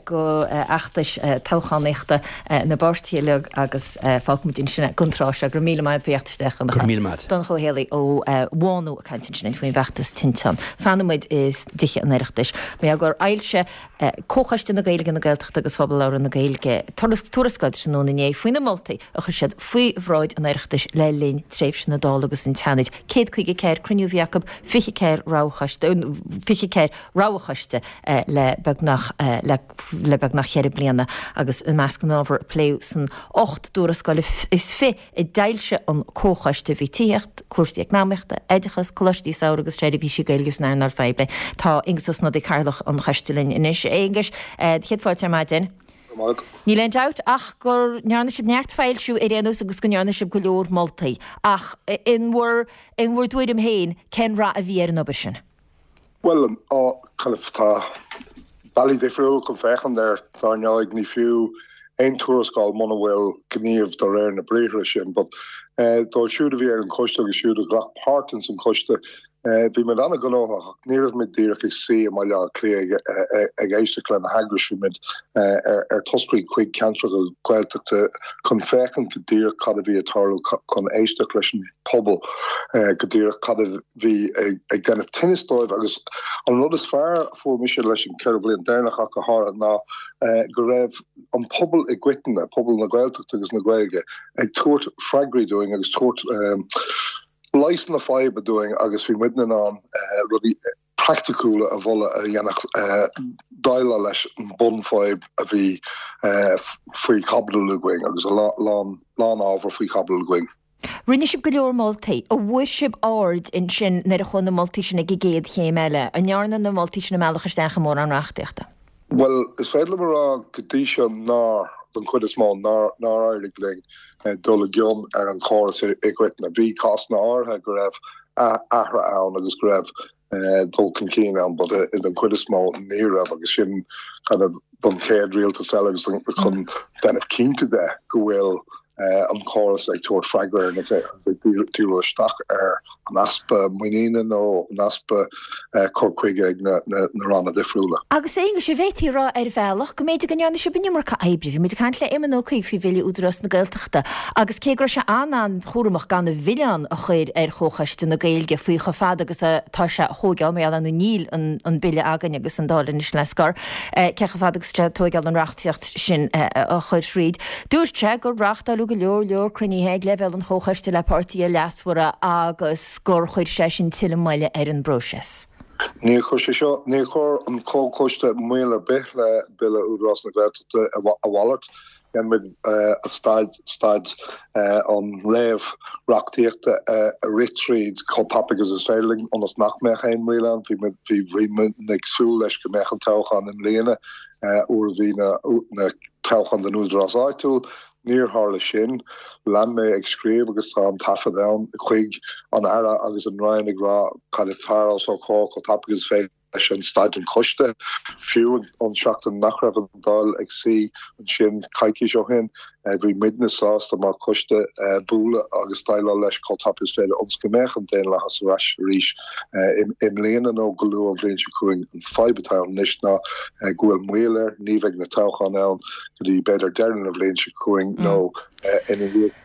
fheachtais toghchánaíochta na bpáirtithe uilig agus fágfaimid ansin é don tráth seo. Go raibh míle maith agat faoi theacht isteach, a Dhonncha. Go raibh míle maith. Donncha Ó Héalaí ó Bhánú ag caint ansin faoin bhfeachtas tinteán. Fanfaidh muid i dTithe an Oireachtais. Mar gur fhoilsigh Comhchoiste na Gaeilge, na Gaeltachta agus Phobal Labhartha na Gaeilge tuarascáil tráthnóna inné faoi na moltaí a chuir siad faoi bhráid an Oireachtais le linn tréimhse na Dála agus an tSeanaid. céad caoga ceathair cruinniú a bhí acu, fiche ceathair roghchoiste, fiche ceathair roghchoiste le beagnach le beagnach ceithre bliana agus i measc na n-ábhar a pléadh san ocht dtuarascáil is fiche a d'fhoilsigh an Comhchoiste bhí tithíocht, cúrsaí eacnamaíochta, oideachas, coláistí samhraidh agus seirbhísí Gaeilge san earnáil phoiblí. Tá Aengus Ó Snodaigh, Cathaoirleach an Choiste linn anois. A Aonghuis, do chéad fáilte ar maidin. Níl aon dabht ach go ndearna sibh neart foilsiú ar aon nós agus go ndearna sibh go leor moltaí. Ach in bhur in bhur dtuairim féin, cén rath a bhí ar an obair sin? Bhuel, kind of tá bealaí difriúla chun féachaint air, dar ndóigh, ní fiú aon tuarascáil muna bhfuil gníomh de réir na briathra sin. But dóibh siúd a bhí ar an choiste agus siúd a ghlac páirt ins an choiste, bhí muid an-ghnóthach ach ní raibh muid díreach ag suí i mBaile Átha Cliath ag éisteacht le na heagrais, bhí muid ar toscairí chuig ceantracha Gaeltachta chun féachaint go díreach cad a bhí ag tarlú, chun éisteacht leis an pobal go díreach cad a bhí ag déanamh tinnis dóibh agus an rud is fearr a fuair mise leis an ceithre bhliain deireanach ach go háirithe ná go raibh an pobal i gcoitinne, pobal na Gaeltachta agus na Gaeilge, ag tabhairt freagraí dúinn agus tabhairt leigheas na faidhbe dúinn agus bhí muidne in ann rudaí praiticiúla a mholadh a dhéanfadh déileáil leis an bunfhadhb a bhí faoi chaibidil againn agus a lán lán ábhar faoi chaibidil againn. Rinne sibh go leor moltaí. An bhfuair sibh aird ansin nuair a chuaigh na moltaí sin ag an gcéad chéim eile? An ndearna na moltaí sin a mbealach isteach i mórán reachtaíochta? Bhuel, is féidir liom a rá go dtí seo nár, don chuid is mó, nár, nár éirigh linn dul i gcion ar an chóras i gcoitinne. Bhí cásanna áirithe go raibh athruithe ann agus go raibh dul chun cinn ann but don chuid is mó ní raibh agus sin kind of don chéad rialtas eile agus chun déanamh cinnte de go bhfuil an córas ag tabhairt freagra ar na ag díriú isteach ar an easpa muiníne nó an easpa cur chuige ag na ranna difriúla. Agus a Aonghuis, an bhféadfaí a rá ar bhealach go mb'fhéidir go ndearna sibh an iomarca oibre. Bhí muid ag caint le Éamon Ó Cuív faoi Bhille Údarás na Gaeltachta agus cé go raibh sé an-an-chúramach gan an milleán a chur ar Chomhchoiste na Gaeilge faoi chomh fada agus atá sé a thóigeáil, mar gheall ar níl an Bille againn agus an Dáil anois le scor, cé chomh fada agus atá sé a tóigeáil an reachtaíocht sin a chur thríd. Dúirt sé gur reáchtáileadh go leor leor cruinnithe ag leibhéal an Chomhchoiste le páirtithe leasmhara agus gur chuir sé sin tuilleadh moille ar an bpróiseas. Níor chuir sé seo, níor chuir an Comhchoiste moill ar bith le Bille Údarás na Gaeltachta, a mhalairt. Dhein muid staid, staid an réamh-reachtaíochta a rith tríd chomh tapaidh agus is féidir linn ionas nach mbeadh aon mhoill ann. Bhí muid, bhí, bhí muid ag súil leis go mbeadh an toghchán i mbliana uair a bhí na, na toghcháin don údarás áitiúil. Níor tharla sin. Lean mé ag scríobh agus tá an taifead ann chuig an Aire agus an Roinn ag rá cad atá os ár gcomhair chomh tapaidh agus is féidir leis an staid an choiste. Fiú an seachtain nach raibh an Dáil ag suí ansin coicís ó shin, bhí muidne sásta mar choiste bualadh agus déileáil leis chomh tapaidh is féidir ionas go mbeadh an daonlathas ar ais arís i mbliana nó go luath an bhliain seo chugainn. An fadhb atá ann anois ná go bhfuil moill air, ní bheidh na toghcháin ann go dtí b'fhéidir deireadh na bhliain seo chugainn nó ina dhiaidh.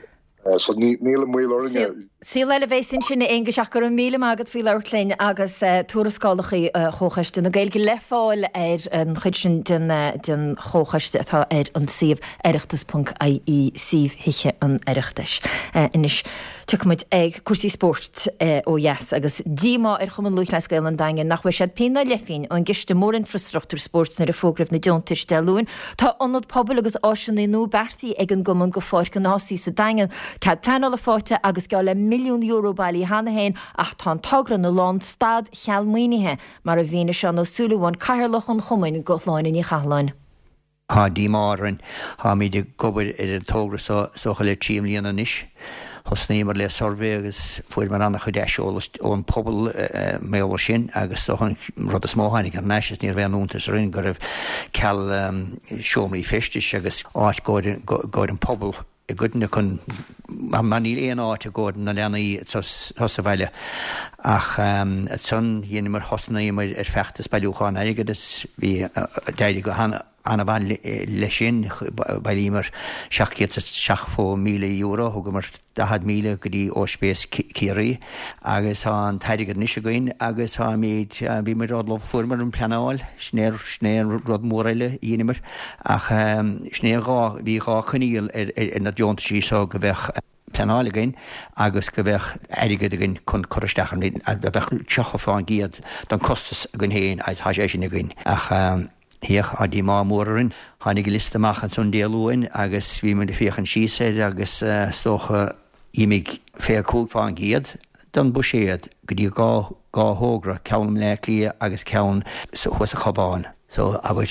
So níl an moill orainne. Saol eile a bheas ansin, a Aonghuis, ach go raibh míle maith agat faoi labhairt linn agus tuarascálacha Chomhchoiste na Gaeilge le fáil ar an chuid sin den den Chomhchoiste atá ar an suíomh oireachtas ponc ie, suíomh Thithe an Oireachtais. Anois tiocfaidh muid ag cúrsaí spóirt ó dheas agus díomá ar Chumann Lúthchleas Gael an Daingin nach bhfuair siad pingin ná leithphingin ón gCiste Mórinfreastruchtúir Spóirt nuair a fógraíodh na deontais Dé Luain. Tá ionad pobail agus áiseanna nua beartaithe ag an gcumann go Pháirc an Ásaigh sa Daingean. Cead pleanála faighte agus geall le milliún euro bailithe cheana féin ach tá an togra ina lánstad cheal maoinithe, mar a mhínigh Seán Ó Súilleabháin, Cathaoirleach an Chumainn do Shláine Ní Chathalláin. Tá díomá orainn. Táimid ag obair ar an togra seo is dócha le trí mbliana anois. Thosnaíomar le suirbhé agus fuaireamar an-chuid aiseolas ón pobal mar gheall air sin agus is dócha an rud is mó a tháinig thar n-ais is ní raibh aon iontas orainn go raibh ceal seomraí feistis agus áit i gcomhair an pobal i gcoitinne chun mar níl aon áit i gcomhair na leanaí sa bhaile. Ach ansan dheineamar thosnaíomar ar feachtas bailiúcháin airgid agus bhí d'éirigh go han-mhaith leis sin, bhailíomar seacht gcéad is seachtó míle euro, thugamar daichead míle go dtí Ospís Ciarraí agus tá an t-airgead anois againn agus táimid, bhí muid ullamh, fuaireamar an pleanáil, sin é, sin é an rud mór eile a dheineamar ach sin é dhá, bhí dhá choinníoll ar, ar na deontaisí so go bheadh pleanáil againn agus go bheadh airgead againn chun cur isteach an, go bheadh tríocha fán gcéad den costas againn féin agus tá sé sin againn ach. Féach, tá díomá mór orainn. Tháinig an liosta amach ansan Dé Luain agus bhí muid ag féachaint síos air agus is dócha d'imigh fiche cúig fán gcéad den bhuiséad go dtí dhá dhá thogra, ceann i mBleá Cliath agus ceann thuas sa Chabhán. So, abair,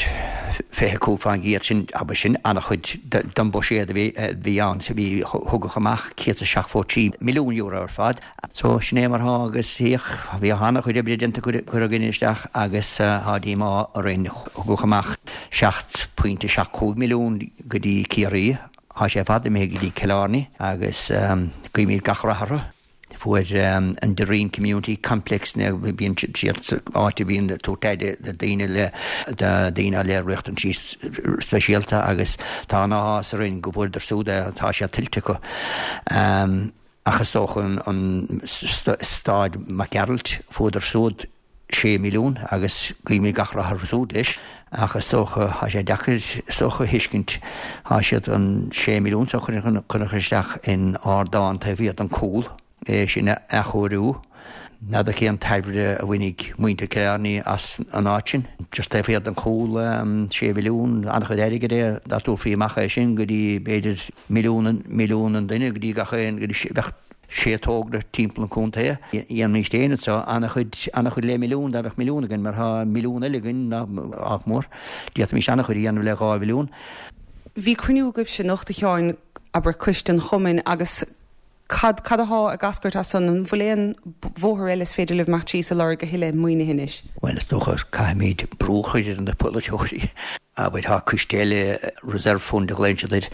fiche cúig fán gcéad, sin, abair, sin an-chuid den bhuiséad a bhí a bhí ann. So bhí, thugadh amach céad is seachtó trí milliún euro ar fad. So, sin é mar thá agus féach, bhí an-chuid oibre déanta curtha againn isteach agus thá díomá orainn. Thugadh amach seacht pointe seacht cúig milliún go dtí Ciarraí, thá sé ar fad imithe go dtí Cill Airne agus guímid gach rath orthu. Fuair an Derreen Community Complex, bíonn siad áit a bhíonn ag tabhairt aire do daoine le do daoine le riachtanaisí speisialta agus tá an-áthas orainn go bhfuaireadar siúd é, tá sé tuillte acu. Ach is dócha an Staid Mac Gearailt, fuaireadar siúd sé milliún agus guímid gach rath orthu siúd leis. Ach is dócha, tá sé deacair is dócha a thuiscint, tá siad an sé milliún so a chur isteach in ardán taobh thiar den cúl, é sin a athchóiriú. N'fheadar cén tairbhe a bhainfidh muintir Chill Airne as an áit sin. Just taobh thiar den chúl, sé mhilliún, an-chuid airgid é dá dtabharfaí amach é sin go dtí b'fhéidir milliún, milliún an duine go dtí gach aon, go dtí, bheadh sé togra timpeall an chontae. Dhéanfaimis féin anseo an-chuid, an-chuid le milliún, dá mbeadh milliún againn mar tá milliún eile againn, nach mór. D'fhéadfaimis an-chuid a dhéanamh le dhá mhilliún. Bhí cruinniú agaibhse anocht, a Sheáin, abair, coiste an chumainn agus Cad, cad athá ag eascairt as san? An bhfuil aon bhóthar eile is féidir libh imeacht síos ag lorg a thuilleadh maoinithe anois? Bhuel, is dócha caithfimid brú a chur ar na polaiteoirí. Abair, tá coiste eile, Reserve Fund a ghlaonn siad air,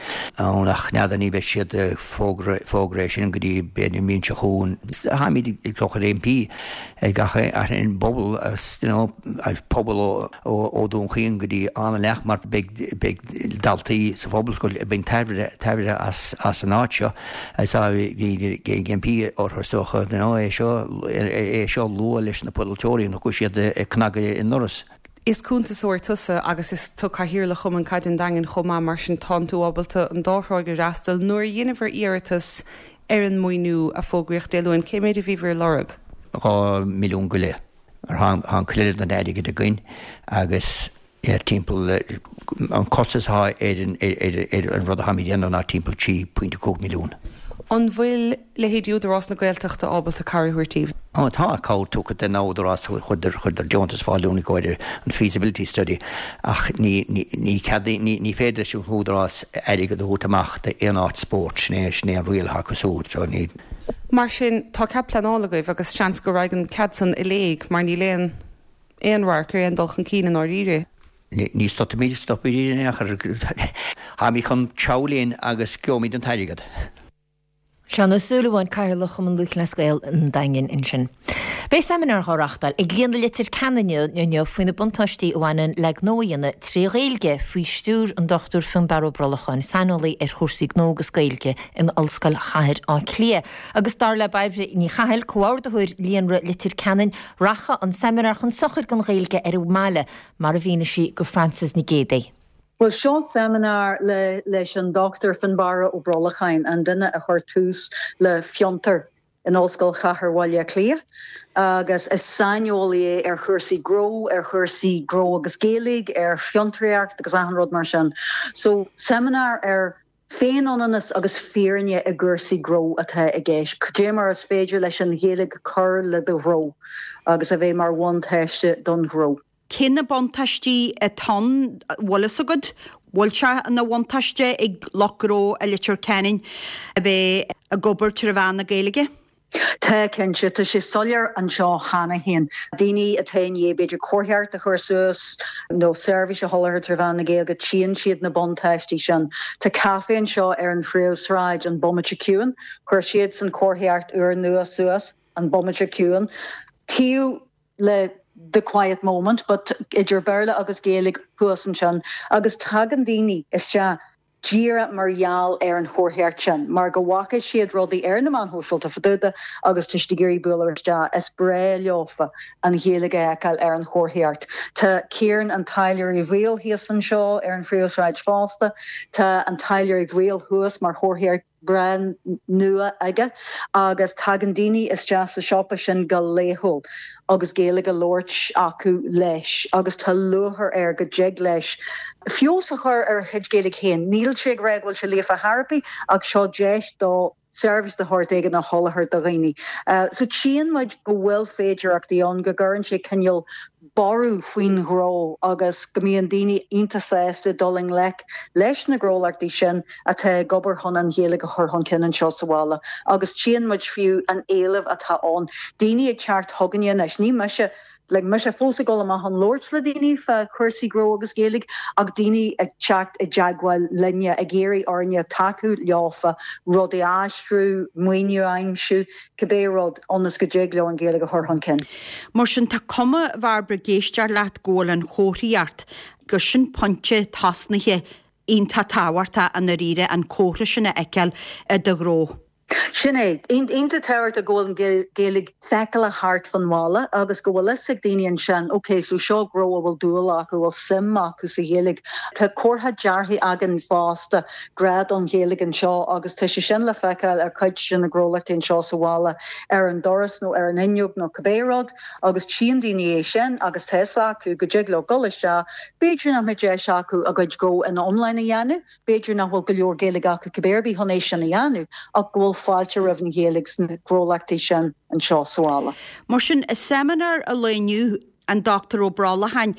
ann ach n'fheadar, ní bheidh siad ag fógra, fógra é sin go dtí b'fhéidir an bhliain seo chugainn. Táimid ag dul chun impí ar gach ar an bpobal, you know, pobal ó, ó, ó Dún Chaoin go dtí Áth na Leac mar beidh, beidh daltaí sa phobalscoil ag baint tairbhe, tairbhe as, as an áit seo. Tá ag impí orthu is dócha é seo é seo a lua leis na polaiteoirí nach bhfuil siad ag cnagadh ar an ndoras. Is cuntasóir tusa agus is tú Cathaoirleach Chumann Caide an Daingin chomh maith, mar sin tánn tú ábalta an dá thráigh a fhreastal. Nuair a dheineabhair iarratas ar an maoiniú a fógraíodh Dé Luain, cé méid a bhíobhair ag lorg? Dhá mhilliún go leith. Mar tá an cuid eile den airgead againn agus timpeall an costas atá ar an rud atáimid a dhéanamh ná timpeall trí pointe cúig milliún. An bhfuil leithéidí Údarás na Gaeltachta ábalta cabhair a thabhairt daoibh? Ó tá cabhair tugtha don Údarás, chuireadar chuireadar deontas ar fáil dúinn i gcomhair an feasibility study ach ní ní cead ní ní féidir leis an Údarás airgead a thabhairt amach d'aon áit spóirt, sin é sin é an riail atá acu siúd so ní. Mar sin tá cead pleanála agaibh agus seans go raghaidh an cead san i léig mar níl aon aon radharc ar aon dul chun cinn i ndáiríre. Ní stopfaimid, stopfaimid in aon chor. Táimid chun treabhadh linn agus gheobhaimid an t-airgead. Seán Ó Súilleabháin, Cathaoirleach Chumann Lúthchleas Gael an Daingin ansin. Beidh seimineár á reáchtáil ag Líonra Leitir Ceanainn inniu faoi na buntáistí a bhaineann le gnó a dhéanamh trí Ghaeilge faoi stiúir an Dochtúir Fionnbarra Ó Brolcháin, saineolaí ar chúrsaí gnó agus Gaeilge in Ollscoil Chathair Átha Cliath. Agus dar le Bairbre Ní Chathail, comhordaitheoir Líonra Leitir Ceanainn, rachaidh an seimineár chun sochair don Ghaeilge ar an mbaile, mar a mhínigh sí go Frances Nic Géadaigh. Bhuel, seo seimineár le leis an Dochtúir Fionnbarra Ó Brolcháin, an duine a chuir tús le Fiontar in Ollscoil Chathair Bhaile Átha Cliath, agus is saineolaí é ar chúrsaí gnó, ar chúrsaí gnó agus Gaeilge, ar fhiontraíocht agus achan rud mar sin. So, seimineár ar Féinionannas agus fírinne i gcúrsaí gnó atá i gceist. Cad é mar is féidir leis an Ghaeilge cur le do ghnó agus a bheith mar bhuntáiste don ghnó. Cé na buntáistí atá ann, bhfuil fhios agat? Bhfuil sé ina bhuntáiste ag lucht gnó i Leitir Ceanainn a bheith ag obair trí mheán na Gaeilge? Tá, cinnte. Tá sé soiléir anseo cheana féin. Daoine atá i ndiaidh b'fhéidir comharthaíocht a chur suas nó seirbhís a sholáthar trí mheán na Gaeilge, tchíonn siad na buntáistí sin. Tá caife anseo ar an phríomhshráid, An Bomaite Ciúin. Chuir siadsan comharthaíocht úrnua suas, An Bomaite Ciúin, taobh le The Quiet Moment, but idir Béarla agus Gaeilge thuas ansin. Agus tagann daoine isteach díreach mar gheall ar an chomharthaíocht sin, mar go bhfaca siad rudaí ar na meáin shóisialta fá dtaobh de agus tá siad ag iarraidh bualadh isteach. Is breá leofa an Ghaeilge a fheiceáil ar an chomharthaíocht. Tá Ciarán an Táilliúir Uí Bhaoill thíos anseo ar an phríomhshráid fosta. Tá an Táilliúir Uí Bhaoill thuas mar chomharthaíocht breá nua aige agus tagann daoine isteach sa siopa sin go laethúil agus Gaeilge á labhairt acu leis agus tá lúcháir air go dtig leis feabhas a chur ar a chuid Gaeilge féin. Níl sé ag rá go bhfuil sé líofa thar ar bith ach seo deis dó seirbhís de shórt éigin a sholáthar do dhaoine. So tchíonn muid go bhfuil féidearthachtaí ann, go gcuireann sé cineál borradh faoin ghnó agus go mbíonn daoine iontach sásta dul i ngleic leis na gnólachtaí sin atá ag obair chun an Ghaeilge a chur chun cinn anseo sa bhaile. Agus tchíonn muid fiú an éileamh atá ann, daoine ag teacht chugainne anois, ní mise, like mise fós ag dul amach chun labhairt le daoine fá chúrsaí gnó agus Gaeilge ach daoine ag teacht i dteagmháil linne ag iarraidh orainne tacú leofa, rudaí a aistriú, maoiniú a aimsiú, cibé rud ionas go dtig leo an Ghaeilge a chur chun cinn. Mar sin tá cuma, a Bhairbre, ag éisteacht leat go bhfuil an chomharthaíocht, gur sin pointe tosnaithe iontach tábhachtach i ndáiríre an comhartha sin a fheiceáil i do ghnó. Sin é. Iontach tábhachtach go bhfuil an Ghaeilge feiceálach thart fan bhaile agus go bhfuil fhios ag daoine ansin, ok, so seo gnó a bhfuil dúil acu, a bhfuil suim acu sa Ghaeilge. Tá comhartha deartha againn fosta, grá don Ghaeilge anseo agus tá sé sin le feiceáil ar cuid de na gnólachtaí anseo sa bhaile, ar an doras nó ar an fhuinneog nó cibé rud agus tchíonn daoine é sin agus tá fhios acu go dtig leo dul isteach, b'fhéidir nach mbeidh deis acu a gcuid gnó ina iomláine a dhéanamh, B'fhéidir nach bhfuil go leor Gaeilge acu cibé ar bith chun é sin a dhéanamh, ach go bhfuil fáilte roimh an Ghaeilge sna gnólachtaí sin anseo sa bhaile. Mar sin, i seimineár an lae inniu, an Dochtúir Ó Brollacháin,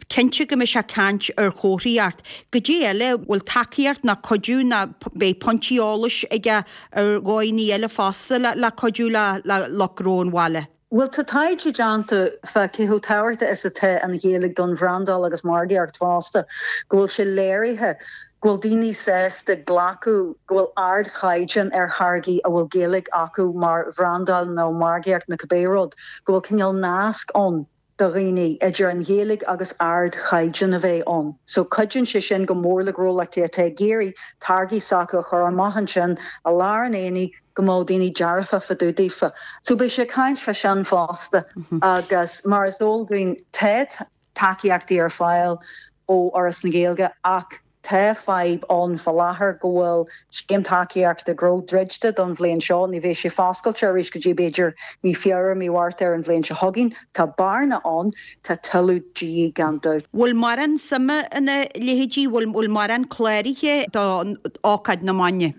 cinnte go mbeidh sé ag caint ar chomharthaíocht. Goidé eile, bhfuil tacaíocht ná cuidiú ná beidh pointí eolais aige ar dhóigheanna eile fosta le cuidiú le lucht gnó an bhaile? Bhuel, tá taighde déanta fá cé chomh tábhachtach is atá an Ghaeilge don bhrandáil agus margaíocht fosta, go bhfuil sé léirithe go bhfuil daoine sásta glacadh go bhfuil ardchaighdeán ar tháirgí a bhfuil Gaeilge acu mar bhrandáil nó margaíocht nó cibé rud, go bhfuil cineál nasc ann do dhaoine idir an Ghaeilge agus ardchaighdeán a bheith ann. So cuidíonn sé sin go mór le gnólachtaí atá ag iarraidh táirgí s'acu a chur amach ansin i lár an aonaigh go mbeadh daoine dearfa fá dtaobh daofa. So beidh sé ag caint fá sin fosta agus mar is eol dúinn tá tacaíochtaí ar fáil ó Fhoras na Gaeilge ach tá fadhb ann fá láthair go bhfuil scéim tacaíochta gnó druidte don bhliain seo, ní bheidh sé foscailte arís go dtí b'fhéidir mí Feabhra, mí Mhárta ar an bhliain seo chugainn. Tá bearna ann, tá tuilleadh de dhíth gan dabht. Bhfuil mórán suime ina leithéidí, bhfuil mórán cláraithe do ócáid na maidine?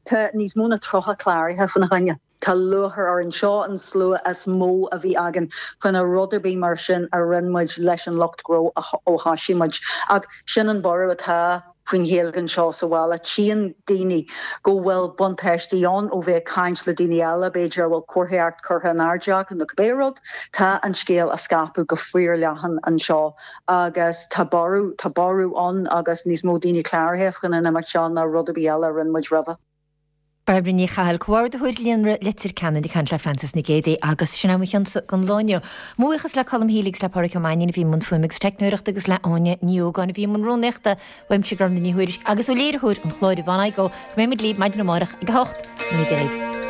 Tá níos mó ná tríocha cláraithe fána choinne. Tá lúcháir orainn. Seo an slua is mó a bhí againn faoina rud ar bith mar sin a rinne muid leis an lucht gnó ó thoisigh muid. Ach sin an borradh atá faoin Ghaeilge anseo sa bhaile. Tchíonn daoine go bhfuil buntáistí ann ó bheith ag caint le daoine eile, b'fhéidir a bhfuil comharthaíocht curtha in airde acu nó cibé rud. Tá an scéal á scaipeadh go fíorleathan anseo agus tá borradh, tá borradh ann agus níos mó daoine cláraithe chun an imeacht seo ná rud ar bith eile a rinne muid roimhe. Bairbre Ní Chathail, Comhordaitheoir Líonra Leitir Ceanainn ag caint le Frances Nic Géadaigh agus sin é mo chionsa don lá inniu. Mo bhuíochas le Colm Healy agus le Pádraic Ó Mainnín a bhí i mbun fuaime agus teicneoireachta agus le Áine Ní Ógáin a bhí i mbun rúnaíochta. Uaimse Gormfhlaith Ní Thuairisg agus ó léiritheoir an chláir Yvonne Igoe go mbeidh muid libh maidin amárach ag a hocht. Go ndéana Dia libh.